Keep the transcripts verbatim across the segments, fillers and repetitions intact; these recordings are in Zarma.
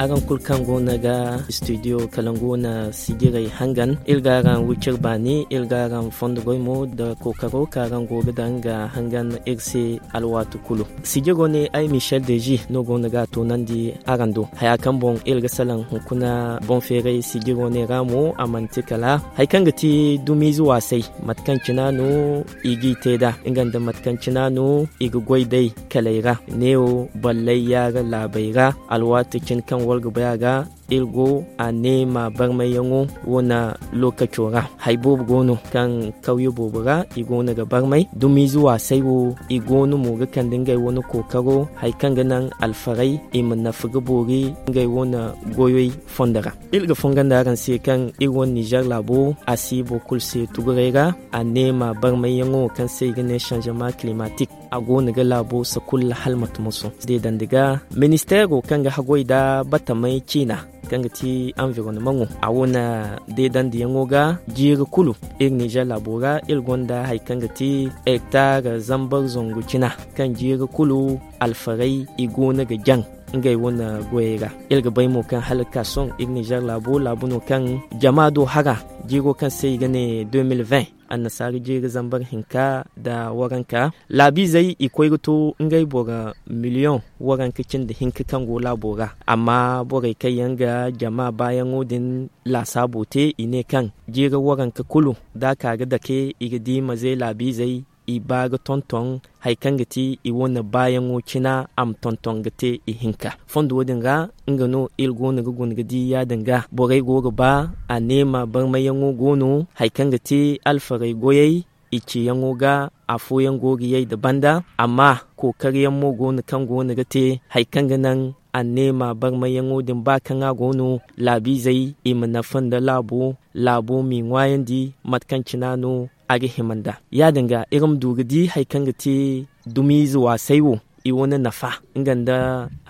Araŋ kulu kaŋ go no ga studio kalangu wane sijirey hangan, iri ga araŋ wicir baani, iri ga araŋ fondo goy mo nda kookaro kaŋ araŋ go ga daŋ ga hangan iri se alwaati kulu. Sijiro ne ay Michel Deji no go no ga a toonandi araŋ do. Haya kaŋ boŋ iri ga salaŋ hunkuna boŋ feeray sijiro ne ra mo, a manti kala hari kaŋ ga ti dumiize waasay, mate kaŋ cina no i g'i te nd'a, nga nda mate kaŋ cina no i ga goy day kaley ra, neewo ballay yaara laabey ra, alwaati cine kaŋ war ga bay a ga, iri go a neema barmayyaŋo wane lookaco ra. Hari boobo go no kaŋ kawye boobo ra i go no ga barmay. Dumiize waasay wo, i go no mo ga kande ngey wane kookaro, hari kaŋ ga naŋ alfarey i ma nafa ga boori ngey wane goyey fondo ra. Iri ga fongo nda araŋ se kaŋ iri wane Nizer laabo, a si boro kulu se tuguray ra, a neema barmayyaŋo kaŋ se i ga ne changement climatique. A go no ga laabo sakulla hala mate moso. Deedandi ga ministeero kaŋ ga haggoy nda batamey ciina, kaŋ ga ti environnement ŋo, a wo na deedandiyaŋo ga jiiri kulu. Iri Nizer laabo ra, iri gonda hari kaŋ ga ti hektar zambar zangu cina, kaŋ jiiri kulu alfarey i go no ga jaŋ ngey wane goyey ra. Iri ga bay mo kaŋ hala ga ka sohõ iri Nizer laabo, laabu no kaŋ jama do hara, jiiro kaŋ se i ga ne deux mille vingt, annasaara jiiri zambar hinka nda waranka. Laabiizey i koy ga to ngey boro miliyoŋ waranka cindi hinka kaŋ go laabo ra. Amma borey kaŋ yaŋ ga jama baayaŋo din laasaabo te, i ne kaŋ jiiri waranka kulu da a ka ga dake, i ga di maze laabiizey i ba ga tonton hari kaŋ ga ti i wane baayaŋo cina, a ma tonton ga te ihinka. Fondo din ra, nga no iri go no ga guna ga di yaadin ga borey go ga ba a neema barmayyaŋo go no, hari kaŋ ga ti alfarey goyey i ciyaŋo ga, afooyaŋ go ga yay nda banda. Amma kookariyaŋ mo go no kaŋ go no ga te hari kaŋ ga naŋ a neema barmayyaŋo din, ba kaŋ a go no laabiizey i ma nafa nda laabo, laabo m'i ŋwaayandi mate kaŋ cina no a ga hima nd'a. Yaadin ga, iri ma du ga di hari kaŋ ga ti dumiize waasay wo, i wane nafa, nga nda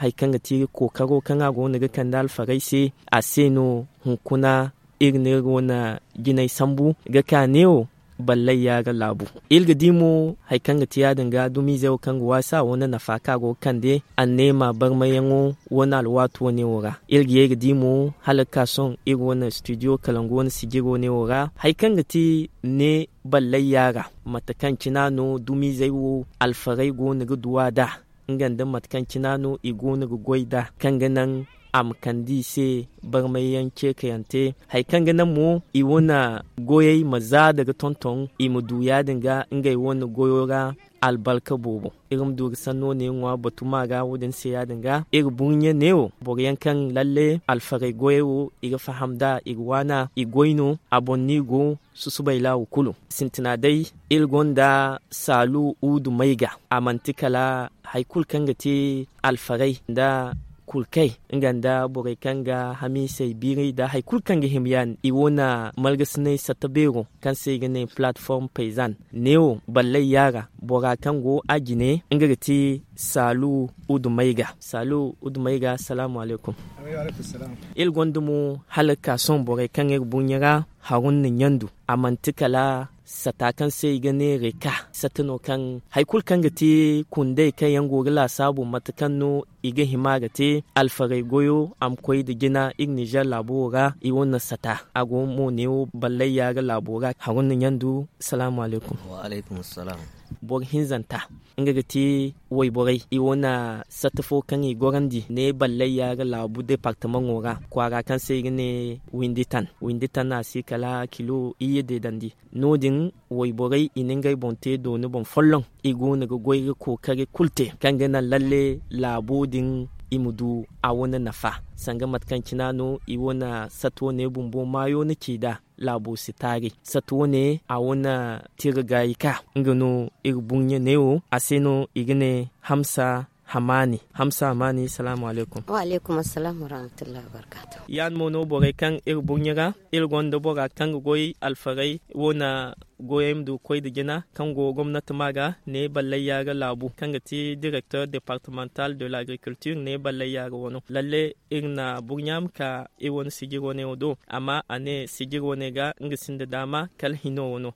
hari kaŋ ga ti kookaro kaŋ a go no ga kande alfarey se. A se no hunkuna iri na iri wane jinay sambu ga ka neewo ballay yaara laabu. Iri ga di mo hari kaŋ ga ti yaadin ga dumiizey wo kaŋ ga waasi a wane nafa kaŋ a go ga kande anneema barmayyaŋo wane alwaati wane wo ra. Iri ga ye ga di mo hala ga ka sohõ iri wane studio kalangu wane sijiri wane wo ra, hari kaŋ ga ti ne ballay yaara, mate kaŋ cina no dumiizey wo alfarey go no ga duw'a nd'a, nga nda mate kaŋ cina no i go no ga goy nd'a, kaŋ ga naŋ a ma kande i se barmayyaŋ ceekayante. Hari kaŋ ga naŋ mo i wane goyey ma zaada ga tonton, i ma du yaadin ga ngey wane goyo ra albarka boobo. Iri ma du ga sanno ne ŋwa batu ma ga wo-din se yaadin ga. Iri burɲe neewo boroyaŋ kaŋ lalle alfarey goyey wo i ga faham nd'a, i ga waana, i goy no, a boŋ no i go, susubay laawo kulu. Sintina day, iri gonda Saalu Udu Mayga. A manti kala hari kulu kaŋ ga te alfarey nda kurkey, nga nda borey kaŋ ga hamiisey biiri nda hari kulu kaŋ ga hima yaadin. I wo na margasinay satta beero kaŋ se i ga ne plateforme paysanne. Neewo ballay yaara bora kaŋ go a jine, nga ga ti Saalu Udu Mayga. Saalu Udu Mayga, salaamu alaykum. Iri gonda mo hala ga ka sohõ borey kaŋ iri burɲe ra, Haruna Ɲandu. A manti kala sata kaŋ se i ga ne reka. Sata no kaŋ hari kulu kaŋ ga ti kundey kaŋ yaŋ go ga laasaabu mate kaŋ no i ga hima ga te alfarey goyo, a ma koy nda jina iri Nizer laabo wo ra. I wane sata, a go mo neewo ballay yaara laabo ra. Haruna Ɲandu, salaamu alaykum. Wa alaykum salam. Boro hinzanta, nga ga ti wayborey, i wane sata fo kaŋ i gorandi ne ballay yaara laabu departamaŋo ra, kwaara kaŋ se i ga ne Winditan. Winditan a si kala kilo iyye deedandi. No-din wayborey i na ngey boŋ te dooni boŋ folloŋ. I go no ga goy ga kookari kulu te kaŋ ga naŋ lalle laabo din i ma du a wane nafa. Sanga mate kaŋ cina no i wane sata wane bumbo maayo na ci nd'a, laabo si taari. Sata wane a wane tira gaayi ka, nga no iri burɲe neewo, a se no i ga ne Hamsa Hamani. Hamsa Hamani, salaamu alaykum. Wa alaykum assalaam wa rahmatullahi wa barakatuh. Yaadin mo no borey kaŋ iri burɲe ra, iri gonda bora kaŋ ga goy alfarey wane goyey ma du ga koy nda jina, kaŋ go gomnati ma ga ne ballay yaara laabu, kaŋ ga ti directeur départemental de l'agriculture ne ballay yaara wano. Lalle iri na burɲa ma ka iri wane sijiri wane wo do, amma a ne sijiri wane ga nga sinda daama kala hino wano.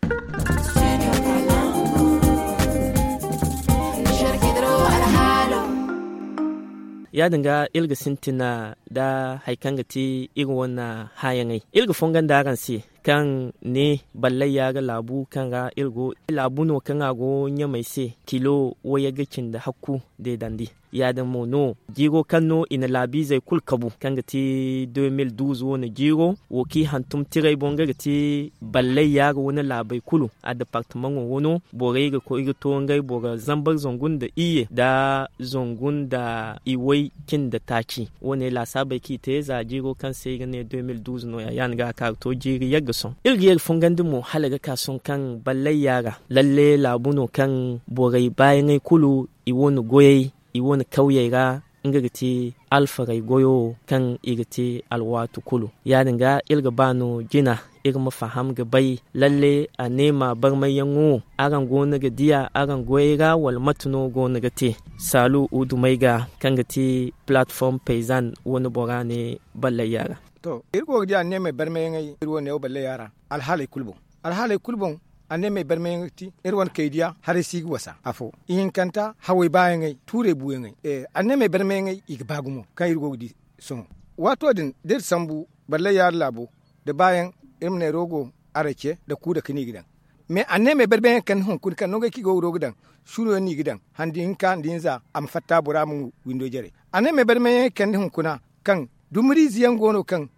Ya- din ga iri ga sintina nda hari kaŋ ga ti iri wane hããyaŋey. Iri ga fongondi araŋ se kaŋ ne ballay yaara laabu kaŋ ra iri go, laabu no kaŋ a go ɲamey se kilo wayagga cindi hakku deedandi. Ya- din mo no jiiro kaŋ no i na laabiizey kulu kabu kaŋ ga ti de mil duuz wane jiiro, wo kaŋ i hantum tirey boŋ nga ga ti ballay yaara wane laabey kulu. A departamaŋo wano borey ga koy ga to ngey boro zambar zangu nda iyye nda zangu nda iway cindi taaci. Wo- ne laasaabey kaŋ i te za jiiro kaŋ se i ga ne de mil duuz no- ya ya- din ga a ka ga to jiiri yagga sohõ. Iri ga ye ga fongandi mo hala ga ka sohõ kaŋ ballay yaara lalle laabu no kaŋ borey baayaŋey kulu i wane goyey i wane kawyey ra. Nga ga ti alfarey goyo kaŋ i ga te alwaati kulu. Ya- din ga iri ga ba no jina iri ma faham ga bay lalle a ne ma barmayyaŋo araŋ go no ga diya araŋ goyey ra wala mate no go no ga te? Saalu udumey ga kaŋ ga ti palatform payzan wane bora ne ballay yaara. To iri go ga diya a ne ma ay barmayyaŋey iri wane wo ballay yaara alhaaley kulu boŋ. Alhaaley kulu boŋ a ne ma ay barmayyaŋey ga ti iri wane kaydiya haray si ga wasa afo ihinkanta hawey baayaŋey tuurey buuyaŋey. A ne ma ay barmayyaŋey i ga ba gumo kaŋ iri go ga di sohõ. Waato din da iri sambu ballay yaara laabo nda baayaŋ iri ma ne rogo arace nda kuuda kaŋ no i ga daŋ. Mais a ne ma ay barmayyaŋey kande hunkuna kaŋ nangey kaŋ i go ga rogo daŋ suro yaŋ no i ga daŋ handi hinka nda hinza a ma fatta bora ma windo jare. A ne ma ay barmayyaŋey kande hunkuna kaŋ dumariize yaŋ go no kaŋ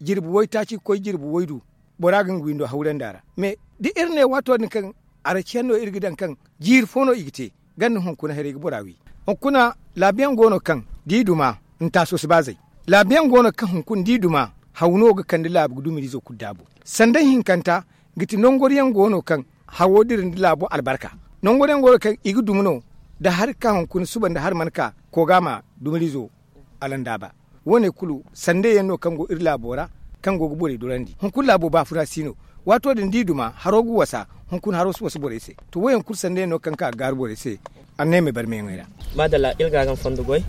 jirbi waytaaci ga koy jirbi waydu bora ga nga windo hawrandi a ra. Mais da iri ne waato din kaŋ araciyaŋ no iri ga daŋ kaŋ jiiri fo no i ga te ganda hunkuna haray ga bora wi. Hunkuna laabiyaŋ go no kaŋ da i duma ntaaso si ba zay. Laabiyaŋ go no kaŋ hunkuna da i duma haw no ga kande laabu ga dumariizo kulu daabu. Sanda hinkanta ga ti nangoriyaŋ go no kaŋ hawo dira nda laabo albarka. Nangoriyaŋ go no kaŋ i ga duma no da hari ka hunkuna suba nda hari mana ka koga ma dumariizo alandaaba. Wo- ne kulu sandey yaŋ no kaŋ go iri laabo ra kaŋ go ga borey dorandi hunkuna laabo baafuna si no. Waato din da i duma haro ga wasa hunkuna haro si wasa borey se. To wo- yaŋ kulu sandey yaŋ no kaŋ ka ga gaaru borey se. Anneemey barmayaŋey ra. Maadalla iri ga araŋ fondo goy.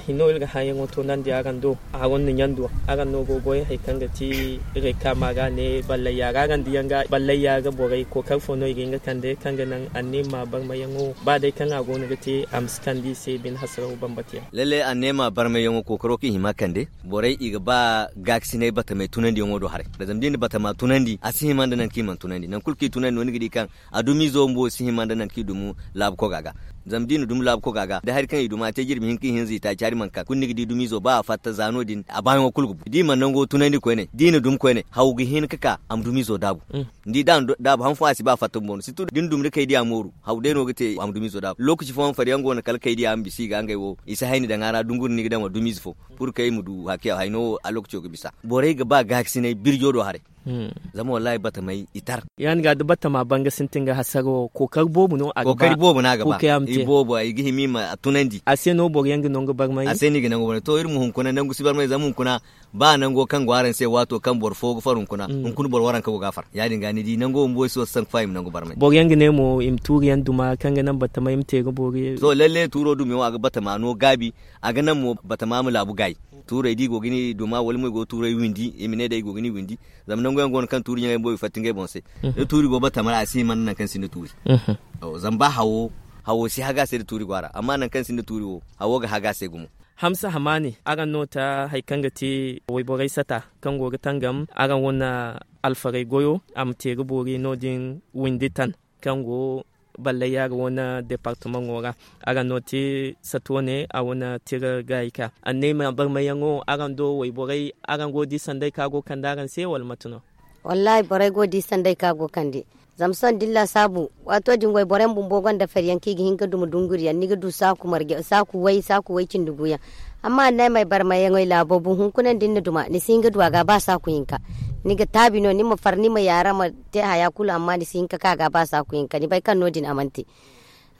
Hinno iri ga hããyaŋo toonandi araŋ do. Araŋ na ɲandu araŋ no go ga goy hari kaŋ ga ti rekama ga ne ballayya ra araŋ diyaŋ ga ballayya ga borey kookari fo no i ga hin ga kande kaŋ ga naŋ anneema barmayaŋo ba day kaŋ a go no ga te a ma si kande i se bine hasaraw bambata yaŋ. Lalle anneema barmayyaŋo kookaro kaŋ i hima kande borey i ga ba gaakasinay batamey tunandiyaŋo do haray. Zama da i na batama tunandi a si hima nda nangu kaŋ i mana tunandi nangu kulu kaŋ i tunandi no ni ga di kaŋ a dumiizo bumbo si hima nda nangu kaŋ i dumu laabu koga ga. Zama da i na dumi laabu koga ga da hari kaŋ i dumi a te jirbi hinka ihinza i taaci hari mana ka kulu ni ga di dumiizo ba a fatta za no- din a baayaŋo kulu ga bu da i mana nango tunandi koyne da i na dumi koyne haw ga hin ga ka a ma dumiizo daabu. Ni di da a na daabu han fo a si ba fatta bumbo no sirtu da ni dumi da kay diya mooru haw day no ga te a ma dumiizo daabu lookaci fooyaŋ faryaŋ go no kala kay diya ma bisa i ga ngey wo i si hayni daŋ a ra dunguri ni ga daŋ wala dumiize fo. Pur kay ma du haki hayno wo a lookaco ga bisa borey ga ba gaakasinay birjo do haray. Zama wallaahi batamey i tar. Ya- din ga da batama banga sintin ga hasaro kookari boobo no a ga ba. Kookari boobo no a ga ba. I boobo i ga hima i ma tunandi a se no boro yaŋ ga nangu barmay a se no i ga nangu barmay to iri ma hunkuna nangu si barmay zama hunkuna ba nango kaŋ go araŋ se waato kaŋ boro fo ga far hunkuna hunkuna boro waranka go ga a far ya- din ga ni di nango bumbo ay si wasa sanku fa i ma nangu barmay. Boro yaŋ ga ne mo i ma tuuri yaŋ duma kaŋ ga naŋ batamay ma te ga boori. To lalle tuuro dumiyaŋo a ga batama no gaabi a ga naŋ mo batama ma laabu gaayi. Tuurey da i go ga ni duma wala mo i go ga tuurey windi i ma ne day i go ga ni windi. Zama nangu yaŋ go no kaŋ tuuri ɲaŋey bumbo i fatta ngey boŋ se. Da tuuri go batama ra a si hima nda nangu kaŋ sinda tuuri. Zama ba hawo hawo si haga se da tuuri go a ra amma nangu kaŋ sinda tuuri wo hawo ga haga se gumo. Hamsa hamaani araŋ no ta hari kaŋ ga ti wayborey sata kaŋ go ga tangam araŋ wane alfarey goyo a ma te ga boori no- din windi tan kaŋ go ballay yaara wane departamaŋo ra. Araŋ no te sato ne a wane tira gaayi ka anneema barmayyaŋo araŋ do wayborey araŋ go ga di sanday kaŋ a go ga kande araŋ se wala mate no? Wallaahi borey go ga di sanday kaŋ a go ga kande. Zama sohõ da ni laasaabu waato din wayboroyaŋ bumbo gonda feryaŋ kaŋ i ga hin ga duma dunguriyaŋ ni ga du saaku marje saaku way saaku way cindi guuyaŋ. Amma anneemey barmayyaŋey laabo bun hunkuna nda ni na duma ni si hin ga du a ga ba saaku hinka. Ni ga taabi no ni ma far ni ma yaara ma te haya kulu amma ni si hin ga ka a ga ba saaku hinka ni bay kaŋ no- din a mana te.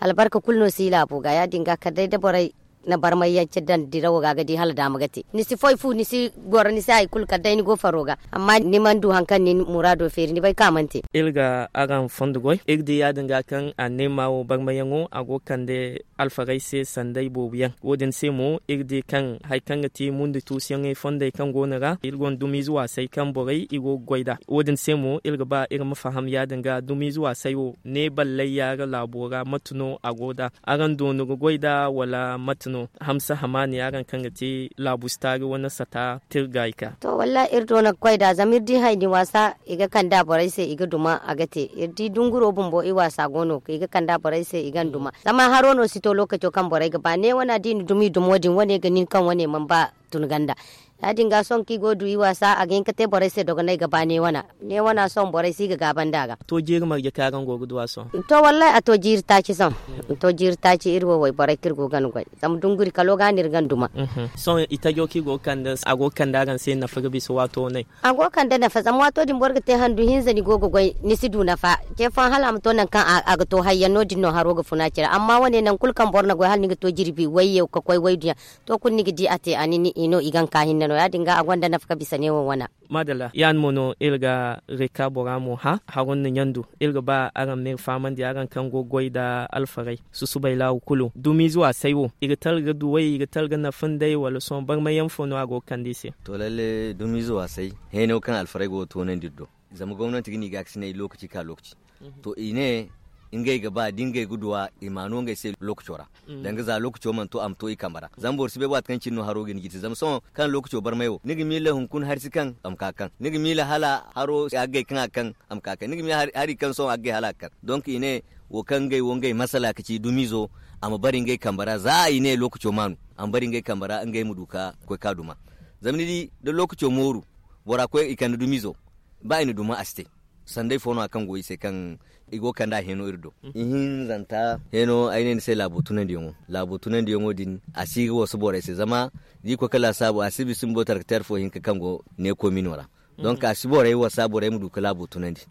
Albarka kulu no si laabo ga ya- din ga kala day da borey na barmayyaŋ ce daŋ dirawo ga a ga di hala daama ga te ni si foy fu ni si goro ni si hari kulu kala day ni go faro ga. Amma ni mana du hari kaŋ ni muraado feeri ni bay kaŋ a mana te. Iri ga araŋ fondo goy iri di ya- din ga kaŋ anneema wo barmayyaŋo a go ga kande alfarey se sanday boobo yaŋ wo- din se mo iri di kaŋ hari kaŋ ga ti mundi tuusuyaŋey fondey kaŋ go no ra iri gonda dumiize waasay kaŋ borey i go ga goy nd'a. Wo- din se mo iri ga ba iri ma faham ya- din ga dumiize waasay wo ne ballay yaara laabo ra mate no a go nd'a? Araŋ doonu ga goy nd'a wala mate? No hamsa hamaani araŋ kaŋ ga te laabu si taari wane sata tirga i ka. To wallahi iri do no ga koy nd'a zama iri di hayni waasa i ga kande a borey se i ga duma a ga te. Iri di dunguro bumbo i waasa go no i ga kande a borey se i ga ni duma zama haro no si to lookaco kaŋ borey ga ba ne wane a di ni duma i dumo din wane ga nin kaŋ wane mana ba tun ganda. Ya- din ga sohõ kaŋ i go ga du i waasa a ga hin ga te borey se dogonay ga ba ne wane. Ne wana sohõ borey si ga gaaba nd'a ga. To jiiri marje kaŋ araŋ go ga du a sohõ? To wallahi a to jiiri taaci sohõ. To jiiri taaci iri wo wayborey kaŋ iri go ga ni goy zama dunguri kalo ga no iri ga ni duma. Sohõ i tajo kaŋ i go ga kande a go ga kande araŋ se nafa ga bisa waato wane? A go ga kande nafa zama waato din boro ga te handu hinza ni go ga goy ni si du nafa. Ce fooyaŋ hala a ma to nangu kaŋ a ga to hayyaŋ no- din no haro ga funa cire amma wane nangu kulu kaŋ boro na goy hala ni ga to jirbi wayye ga koy wayduyaŋ. To kulu ni ga di a te a nin i no i ga ni ka hinne no ya- din ga a gonda nafa ga bisa neewo wana. Maadalla ya- din mo no iri ga reka bora mo hã haro nda ɲandu. Iri ga ba araŋ ma iri fahamandi araŋ kaŋ go ga goy nda alfarey susubay laawu kulu dumiize waasay wo i ga tara ga duwey i ga tara ga nafa nd'ey wala sohõ barmayyaŋ fo no a go ga kande i se? To lalle dumiize waasay heeno kaŋ alfarey go ga toonandi iri do. Zama gomnanti ga ne i ga a ga sinay lookaci ka lookaci. To i ne ngey ga ba da ngey ga duw'a i m'a no ngey se lookaco ra. Danga za lookaco mana to a ma to i kambe ra zama boro si bay waati kaŋ cine no haro ga hin ga i te zama sohõ kaŋ lookaco barmay wo ni ga miila hunkuna hari si kaŋ a ma ka kaŋ ni ga miila hala haro haggay kaŋ a kaŋ a ma ka kaŋ ni ga miila hari kaŋ sohõ haggay hala a ga kaŋ. Donk i ne wo kaŋ ngey wo ngey masala ga ci dumiizo a ma bare ngey kambe ra za i ne lookaco maanu a ma bare ngey kambe ra ngey ma du ga koy ka duma. Zama ni di da lookaco mooru bora koy i kande dumiizo ba i na duma a si te. Sanday fo no- ya kaŋ go i se kaŋ i go ga kand'a heeno iri do. Ihinzanta heeno ay ne ni se laabo tunandiyaŋo laabo tunandiyaŋo din a si ga wasu borey se zama da i koy ga laasaabu a si bisa bumbo tarkateer fo hinka kaŋ go ne koomino ra. Donk a si borey wasa borey ma du ga laabo tunandi.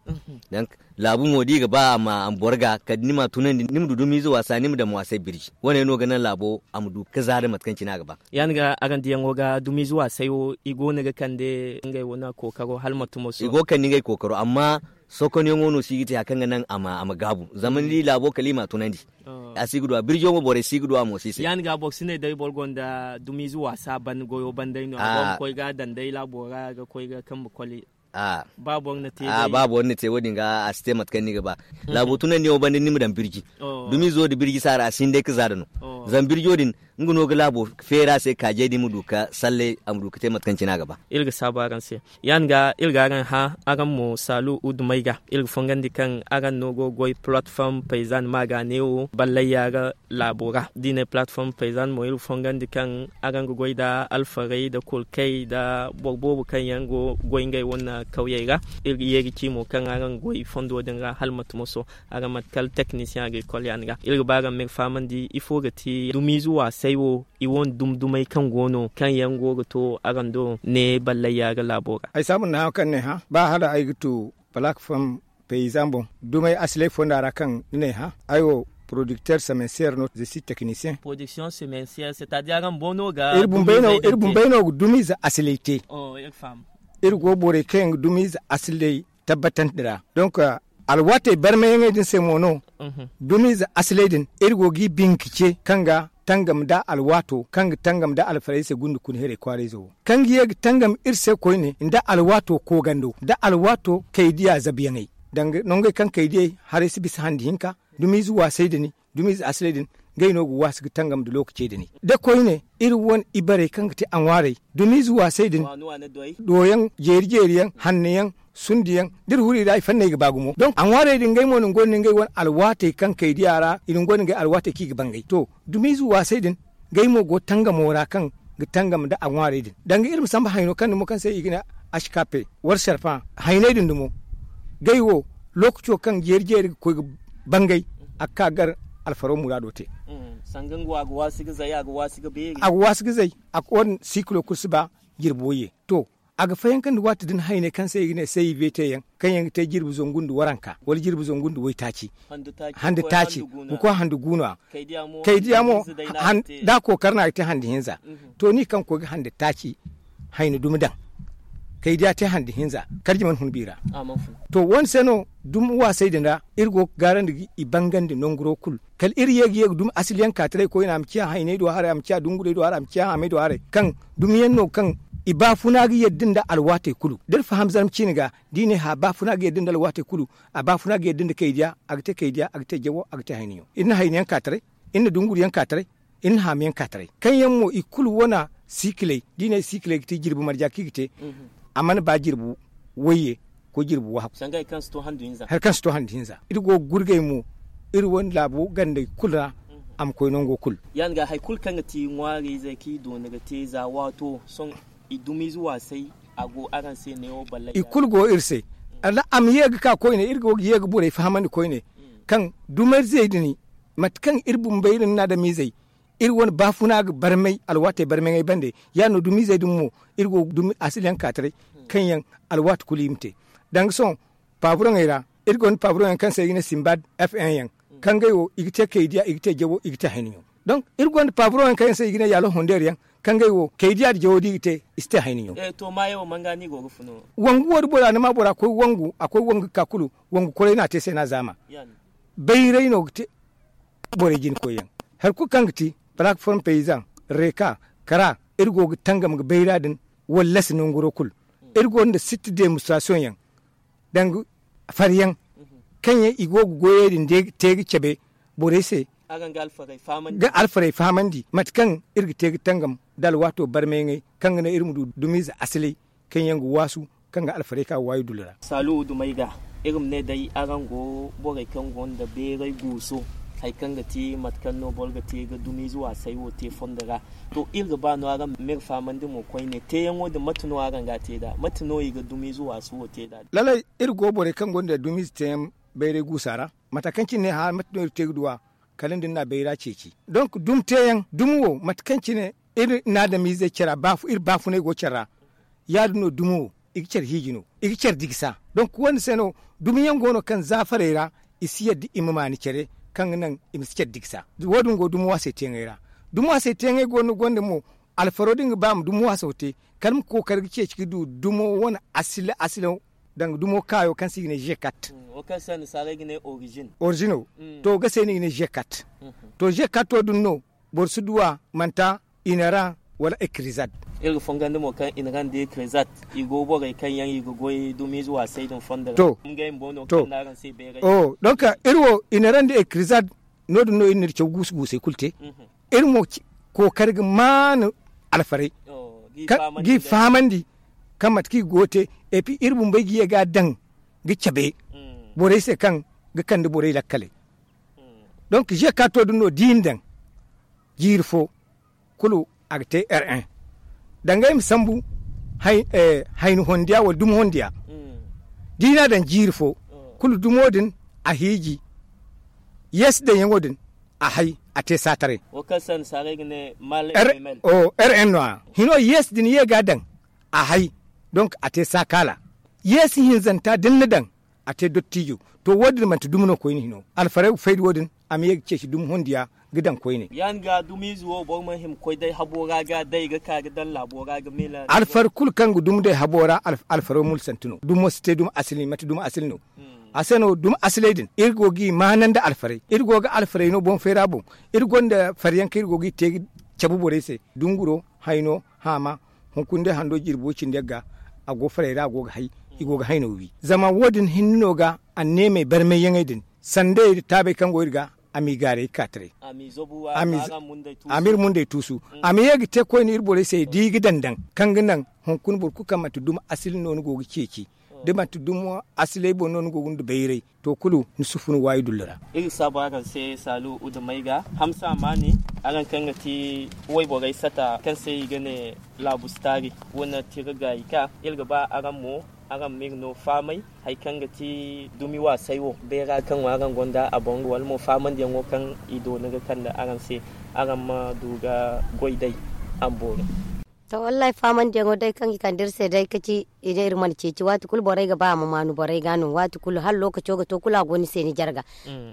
Donk laabu mo da i ga ba a ma boro ga kala da ni m'a tunandi ni ma du dumiize waasa ni ma daŋ waasay birji wane no ga naŋ laabo a ma du ga zaada mate kaŋ cine a ga ba. Ya- din ga araŋ diyaŋo ga dumiize waasay wo i go no ga kande ngey wane kookaro hala ma tumo sohõ i go ga kande ngey kookaro amma sohõ konyaŋo no si ga te hari kaŋ ga naŋ a ma gaabu zama ni di laabo kala i m'a tunandi. A si ga du a birjo mo borey si ga du a mo si se. Ya- din ga boro si ne day boro gonda dumiize waasa ban goyo ban day no a go ga koy ga a daŋ day laabo ra ga koy ga kambe koli. Ba boro na te wo- din ga a si te mate kaŋ ni ga ba. Laabo tunandiyaŋo banda ni ma daŋ birji dumiizo nda birji saara a si hin day ga zaada no. Zama birjo din nga no ga laabo feera se kaajey din ma du ga salle a ma du ga te mate kaŋ cine a ga ba. Iri ga saabu araŋ se. Ya- din ga iri ga araŋ hã araŋ mo saalu uddumey ga iri ga fongandi kaŋ araŋ no go ga goy palatform payzan maaga neewo ballayya ga laabo ra da i ne palatform payzan mo iri ga fongandi kaŋ araŋ ga goy nda alfarey nda kurkey nda boro boobo kaŋ yaŋ go ga goy ngey wane kawyey ra. Iri ga ye ga ci mo kaŋ araŋ ga goy fondo din ra hala mate moso araŋ mate kala teknisiyaŋ agrikol ya- din ga iri ga ba araŋ ma iri fahamandi ifo ga ti dumiize waasay wo i wane dumdumey kaŋ go no kaŋ yaŋ go ga to araŋ do ne ballayya ga laabo ra. Ay saabu nda hã kaŋ ne hã ba hala ay ga tu palak fam payzan boŋ dumey asiley fonda ra kaŋ ni ne hã ay wo porodikter semensiyer no ze si teknisiyen. Porodikter semensiyer se ta di araŋ boono ga iri bumbey no ga dumiize asiley te. Iri go borey kaŋ yaŋ ga dumiize asiley tabbatandi ra donk alwaatey barmayaŋey din se mo no. Dumiize asiley din iri go g'i binka ce kaŋ ga tangam nda alwaato kaŋ ga tangam nda alfarayze gunde kuna heray kwaarayze wo kaŋ ga ye ga tangam iri se koyne nda alwaato koogando nda alwaato kaydiya zabuyaŋey danga nongey kaŋ kaydiyey haray si bisa handi hinka dumiize waasay din dumiize asilay din. Ngey no ga waasi ga tangam nda lookacey din da koyne iri wane ibarey kaŋ ga te a ŋwaarey dumiize waasay din doyaŋ jeeri jeeri yaŋ hanno yaŋ sundu yaŋ da iri huru i ra i fanney ga ba gumo donk a ŋwaarey din ngey mo na ni gonda ngey wane alwaatey kaŋ kaydiya ra i na ni gonda ngey alwaatey kaŋ i ga bangay to dumiize waasay din. Ngey mo go tangamo ra kaŋ ga tangam nda a ŋwaarey din danga iri ma samba hayno kaŋ dumo kaŋ se i ga ne ashkape wala sarfa hayney din dumo. Ngey wo lookaco kaŋ jeeri jeeri ga koy ga bangay a ga ka gar alfaro muraado te. Sanga nga wo a ga waasi ga zay a ga waasi ga beeri a ga waasi ga zay a ga wane sikilo kulu si ba jirbi wayye to a ga fayankandi waati din hayney kaŋ se i ga ne se i ve te yaŋ kaŋ yaŋ ga te jirbi zangu nda waranka wala jirbi zangu nda waytaaci. Hande taaci ga koy hande guuna kaydiya mo da a kookar no a ga te hande hinza. To ni kaŋ ga koy ga hande taaci hayni dumi daŋ kaydiya te hande hinza karji mana hun biira. To wo- ne se no dumi waasay din ra iri go ga gaarandi ga i bangandi nanguro kulu kala iri ye ga ye ga dumi asiliyaŋ ka taray koyne a ma ciya hayney do haray a ma ciya dungurey do haray a ma ciya haamey do haray kaŋ dumiyaŋ no kaŋ i baafuna ga yadda nda alwaatey kulu da iri faham zarma ciine ga da i ne hã baafuna ga yadda nda alwaatey kulu. A baafuna ga yadda nda kaydiya a ga te kaydiya a ga te jawo a ga te hayniyaŋ iri na hayniyaŋ ka taray iri na dunguriyaŋ ka taray. Iri na haamayaŋ ka taray kaŋ yaŋ mo i kulu wane, siikiley da i ne siikiley ga te jirbi marja kaŋ i ga te. A mana ba jirbi wayye ko jirbi wahakku. Hari kaŋ si to handu hinza iri go ga gurgay mo iri wane laabo gandey kulu ra. A ma koy nango kulu. Ya- din ga hari kulu kaŋ ga ti ŋwaarayzey kaŋ i doona ga te za waato sohõ i dumiize waasay. A go araŋ se neewo ballay i kulu go iri se. A ma ye ga ka koyne iri go ga ye ga borey fahamandi koyne kaŋ dumiizey din mate kaŋ iri bumbo iri na adamizey iri wane baafuna ga barmay alwaatey barmay ŋey bande. Ya- din no dumiizey din mo iri go ga dumi asiliyaŋ ka taray kaŋ yaŋ alwaati kulu i ma te. Danga sohõ paaburoŋey ra iri gonda paaburoŋey kaŋ se i ga ne simbad f n yaŋ kaŋ ngey wo i ga te kaydiya i ga te jawo i ga te hayniyaŋo. Donk iri gonda paaburoŋey kaŋ se i ga ne yaalo hondeer yaŋ kaŋ ngey wo kaydiya nda jawo da i ga te i si te hayniyaŋo. Wangu wo da bora ni ma bora koy wangu a koy wangu ga ka kulu wangu koray no a te se no a zaama. Bayray no ga te borey jina koyyaŋ hari kulu kaŋ ga ti palaak form payzan, reeka, kara, iri go ga tangam ga bayra din wallasi nanguro kulu. Iri gonda sitti demonstrasiyoŋ yaŋ danga faryaŋ kaŋ yaŋ i go ga goyey din te ga cabe borey se ga alfarey fahamandi mate kaŋ iri ga te ga tangam nda alwaato barmay ŋey kaŋ ga naŋ iri ma du dumiize asilay kaŋ yaŋ ga waasu kaŋ ga alfarey ka waayi dullu ra. Saalu dumey ga iri ma ne day araŋ go borey kaŋ gonda bayray guuso hari kaŋ ga ti mate kaŋ no boro ga te ga dumiize waasay wo te fondo ra. To iri ga ba no araŋ ma iri fahamandi mo koyne teeyaŋo din mate no araŋ ga a te nd'a mate no i ga dumiize waasu wo te nd'a? Lalay iri go borey kaŋ gonda dumiize teeyaŋ bayray guusa ra mata kaŋ cine ne hã mate no iri te ga du a kala nda ni na a bayra ceeci. Donk dumi teeyaŋ dumi wo mate kaŋ cine iri na adamizey care ra iri baafunay go care ra. Ya- din no dumi wo i ga care hiiji no i ga care digisa. Donk wo- din se no dumi yaŋ go no kaŋ zaafarey ra i si yadda i ma maani care kaŋ ga naŋ i ma si care digisa. Wo- din go dumi waasey teeyaŋey ra. Dumi waasey teeyaŋey go no gonda mo alfaro da nga ba ma dumi waaso te kala ma kookari ga ceeci ga du dumo wane asila asila danga dumo kaayo kaŋ se i ga ne zekat. Orizino. To ga se no i ga ne zekat. To zekato din no boro si du a manti inera wala ekirizad. Iri ga fongandi mo kaŋ inera nda ekirizad i go borey kaŋ yaŋ i ga goy dumiize waasay din fondo ra. Ngey bumbo no kaŋ no araŋ se bayray. Donk iri wo inera nda ekirizad no- din no iri na iri caw guusu guusey kulu te. Iri mo kookari ga maanu alfarey ga i fahamandi kaŋ mate kaŋ i go ga te. Epi iri bumbey ga ye ga a daŋ ga cabe borey se kaŋ ga kande borey lakkaley. Donk zekato din no da i na daŋ jiiri fo kulu a ga te r un danga ay ma sambu hayni hondiya wala dumi hondiya da i n'a daŋ jiiri fo kulu dumo din a hiiji yeesi daŋyaŋo din a hay a te saataray. R un no- ya hino yeesi din ye ga a daŋ a hay donk a te saakaala yeesi hinzanta da ni na daŋ a te dottijo. To wo- din manti dumi no koyne hino alfarey ga fay da wo- din a ma ye ga ceeci dumi hundiya ga daŋ koyne. Ya- din ga dumiize wo boro mana hima koy day habo ra ga day ga ka ga daŋ laabo ra ga miila alfar kulu kaŋ ga dumi day habo ra alfaro mulsanti no dumo si te dumi asili mate dumi asili no. A se no dumi asiley din iri go ga i maanandi alfarey iri go ga alfarey no boŋ fayra boŋ iri gonda faryaŋ kaŋ iri go ga i te ga cabe borey se dunguro hayno haama hunkuna day hando jirbo cindi yagga a go farey ra a go ga hay i go ga hayno wi zama wo- din hinne no ga anneemey barmayyaŋey din sandayey nda taabey kaŋ go iri ga a m'i gaaray ga ka taray a m'iri mundey tuusu a ma ye ga te koyne iri borey se da i ga daŋ daŋ kaŋ ga naŋ hunkuna boro kulu kaŋ manti dumi asili no ni go ga ceeci da manti dumi asiley boŋ no ni go ga ni da bayray to kulu ni si fun waayi dullu ra. Iri ga saabu araŋ se saalu uda may ga hamsa maani araŋ kaŋ ga ti wayborey sata kaŋ se i ga ne laabu si taari wane tira gaayi ka iri ga ba araŋ mo araŋ ma iri no faamay hari kaŋ ga ti dumi waasay wo bayra kaŋ wo araŋ gonda a boŋ wala mo faamandiyaŋo kaŋ i doona ga kande araŋ se araŋ ma du ga goy day a ma boori. To wallahi faamandiyaŋo day kaŋ i kande iri se day ka ci i ne iri mana ceeci waati kulu borey ga ba a ma maanu borey ga no waati kulu hala lookaco ga to kulu a go ni se ni jarga.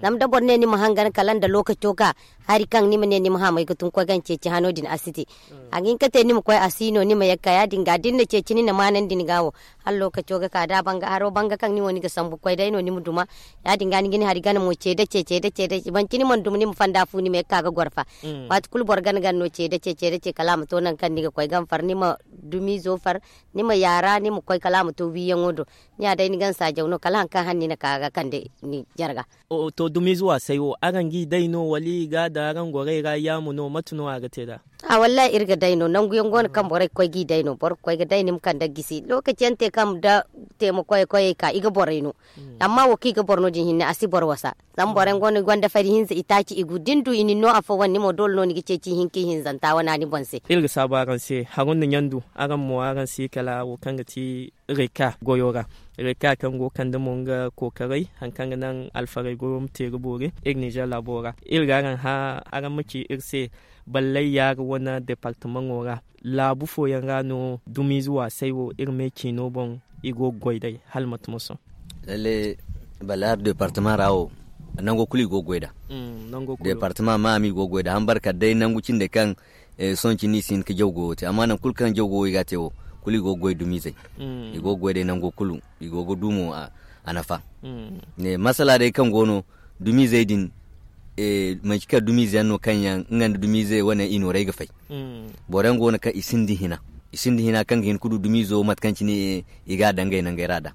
Zama da boro ne ni ma hangan kala nda lookaco ka hari kaŋ ni ma ne ni ma haamay ga tun ga koy ga ni ceeci hano din a si te. A ga hin ka te ni ma koy a si no ni ma ye ga ka ya- din ga da ni na ceeci ni na maanandi ni ga wo hala lookaco ga ka da a banga haro banga kaŋ ni wo ni ga sambu ga koy day no ni ma duma. Ya- din ga ni ga ni hari gana mo ce da ce ce da ce da ce manti ni mana duma ni ma fanda fu ni ma ye ga ka ga goro fa. Waati kulu boro gana gana no ce da ce ce da ce kala a ma to nangu kaŋ ni ga koy ga. far ni ma dumiizo far, ni ma yaara ni ma koy kala a ma to wiiyaŋo do. Ni ya day ni gansa jaw no kala hari kaŋ hane ni na ka ga kande ni jarga. To dumiizo waasay wo araŋ g'i day no wala i ga a daŋ araŋ gorey ra yaamo no mate no a ga te nd'a? A wallahi iri ga day no nangu yaŋ go no kaŋ borey ga koy g'i day no boro ga koy ga day ni ma kande ga gisi lookaci yaŋ te kaŋ da teema koyey koyey ka i ga borey no. Amma wo kaŋ i ga boro no din hinne a si boro wasa. Zama boro yaŋ go no i gonda fari hinza i taaci i gu da ni du i na ni no afo wane ni mo doole no ni ga ceeci ihinka ihinzanta wana ni boŋ se. Iri ga saabu araŋ se haro nda ɲandu araŋ mo araŋ si kala wo kaŋ ga ti reka goyo ra. Reka kaŋ go ga kande mo nga kookaray hari kaŋ ga naŋ alfarey goyo ma te ga boori iri ninzeer laabo ra. Iri ga araŋ hã araŋ ma ci iri se ballay yaari wane deepartamaŋo ra laabu fooyaŋ ra no dumiize waasay wo iri me ciino boŋ i go ga goy day hala mate ma sohõ? Lalle ballay hari deepartama ra wo nango kulu i go ga goy nd'a. Deepartama ma a ma i go ga goy nd'a hambar kala day nangu cinde kaŋ sohõ cine i si hin ga jaw goyo te amma nangu kulu kaŋ jaw goyo i ga a te wo kulu i go ga goy dumiizey. I go ga goy day nango kulu i go ga du mo a nafa. Masala day kaŋ go no dumiizey din manci kala dumiize yaŋ no kaŋ yaŋ nga nda dumiize wane i nooray ga fay. Boro yaŋ go no kaŋ i sinda hina i sinda hina kaŋ ga hin ga du dumiizo mate kaŋ cine i ga a daŋ ngey nangey ra nd'a.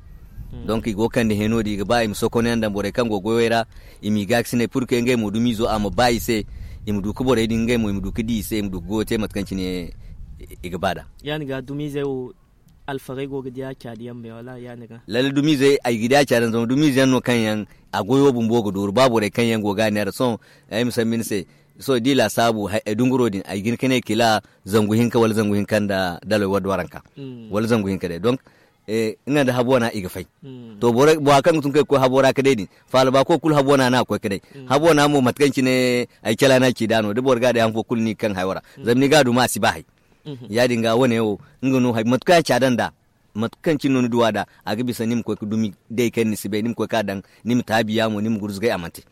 Donk i go ga kande heno din i ga ba i ma sokonyaŋ daŋ borey kaŋ go ga goyey ra i m'i gaakasinay pur ke ngey mo dumiizo a ma ba i se. I ma du ga borey din ngey mo i ma du ga di i se i ma du ga goyo te mate kaŋ cine i ga ba nd'a. Ya- din ga dumiizey wo alfarey go ga di a caadi yaŋ me wala ya- din ga? Lalle dumiizey ay ga di a caadi yaŋ zama dumiize yaŋ no kaŋ yaŋ a goyo bumbo ga dooru ba borey kaŋ yaŋ go ga a neera sohõ. Ay ma sambu ni se sohõ da i laasaabu dunguro din ay ga hin ga ne kila zangu hinka wala zangu hinka nda dalay wadda waranka wala zangu hinka day donk nga nda habu wana i ga fay. To bora kaŋ ga tun kaŋ i ga koy habo ra ga day din faala ba koy kulu habo wana no a ga koy ga day. Habo wana mo mate kaŋ cine ay cala no a ci da no da boro ga a day han fo kulu no i ga kaŋ hayo ra zama ni ga a duma a si ba hay. Ya- din ga wane wo nga no mate kaŋ a caada nda mate kaŋ cine no ni duwa nd'a a ga bisa ni ma koy ga dumi day kaŋ ni si bay ni ma koy ga a daŋ ni ma taabi yaamo ni ma gurzugay a mana te.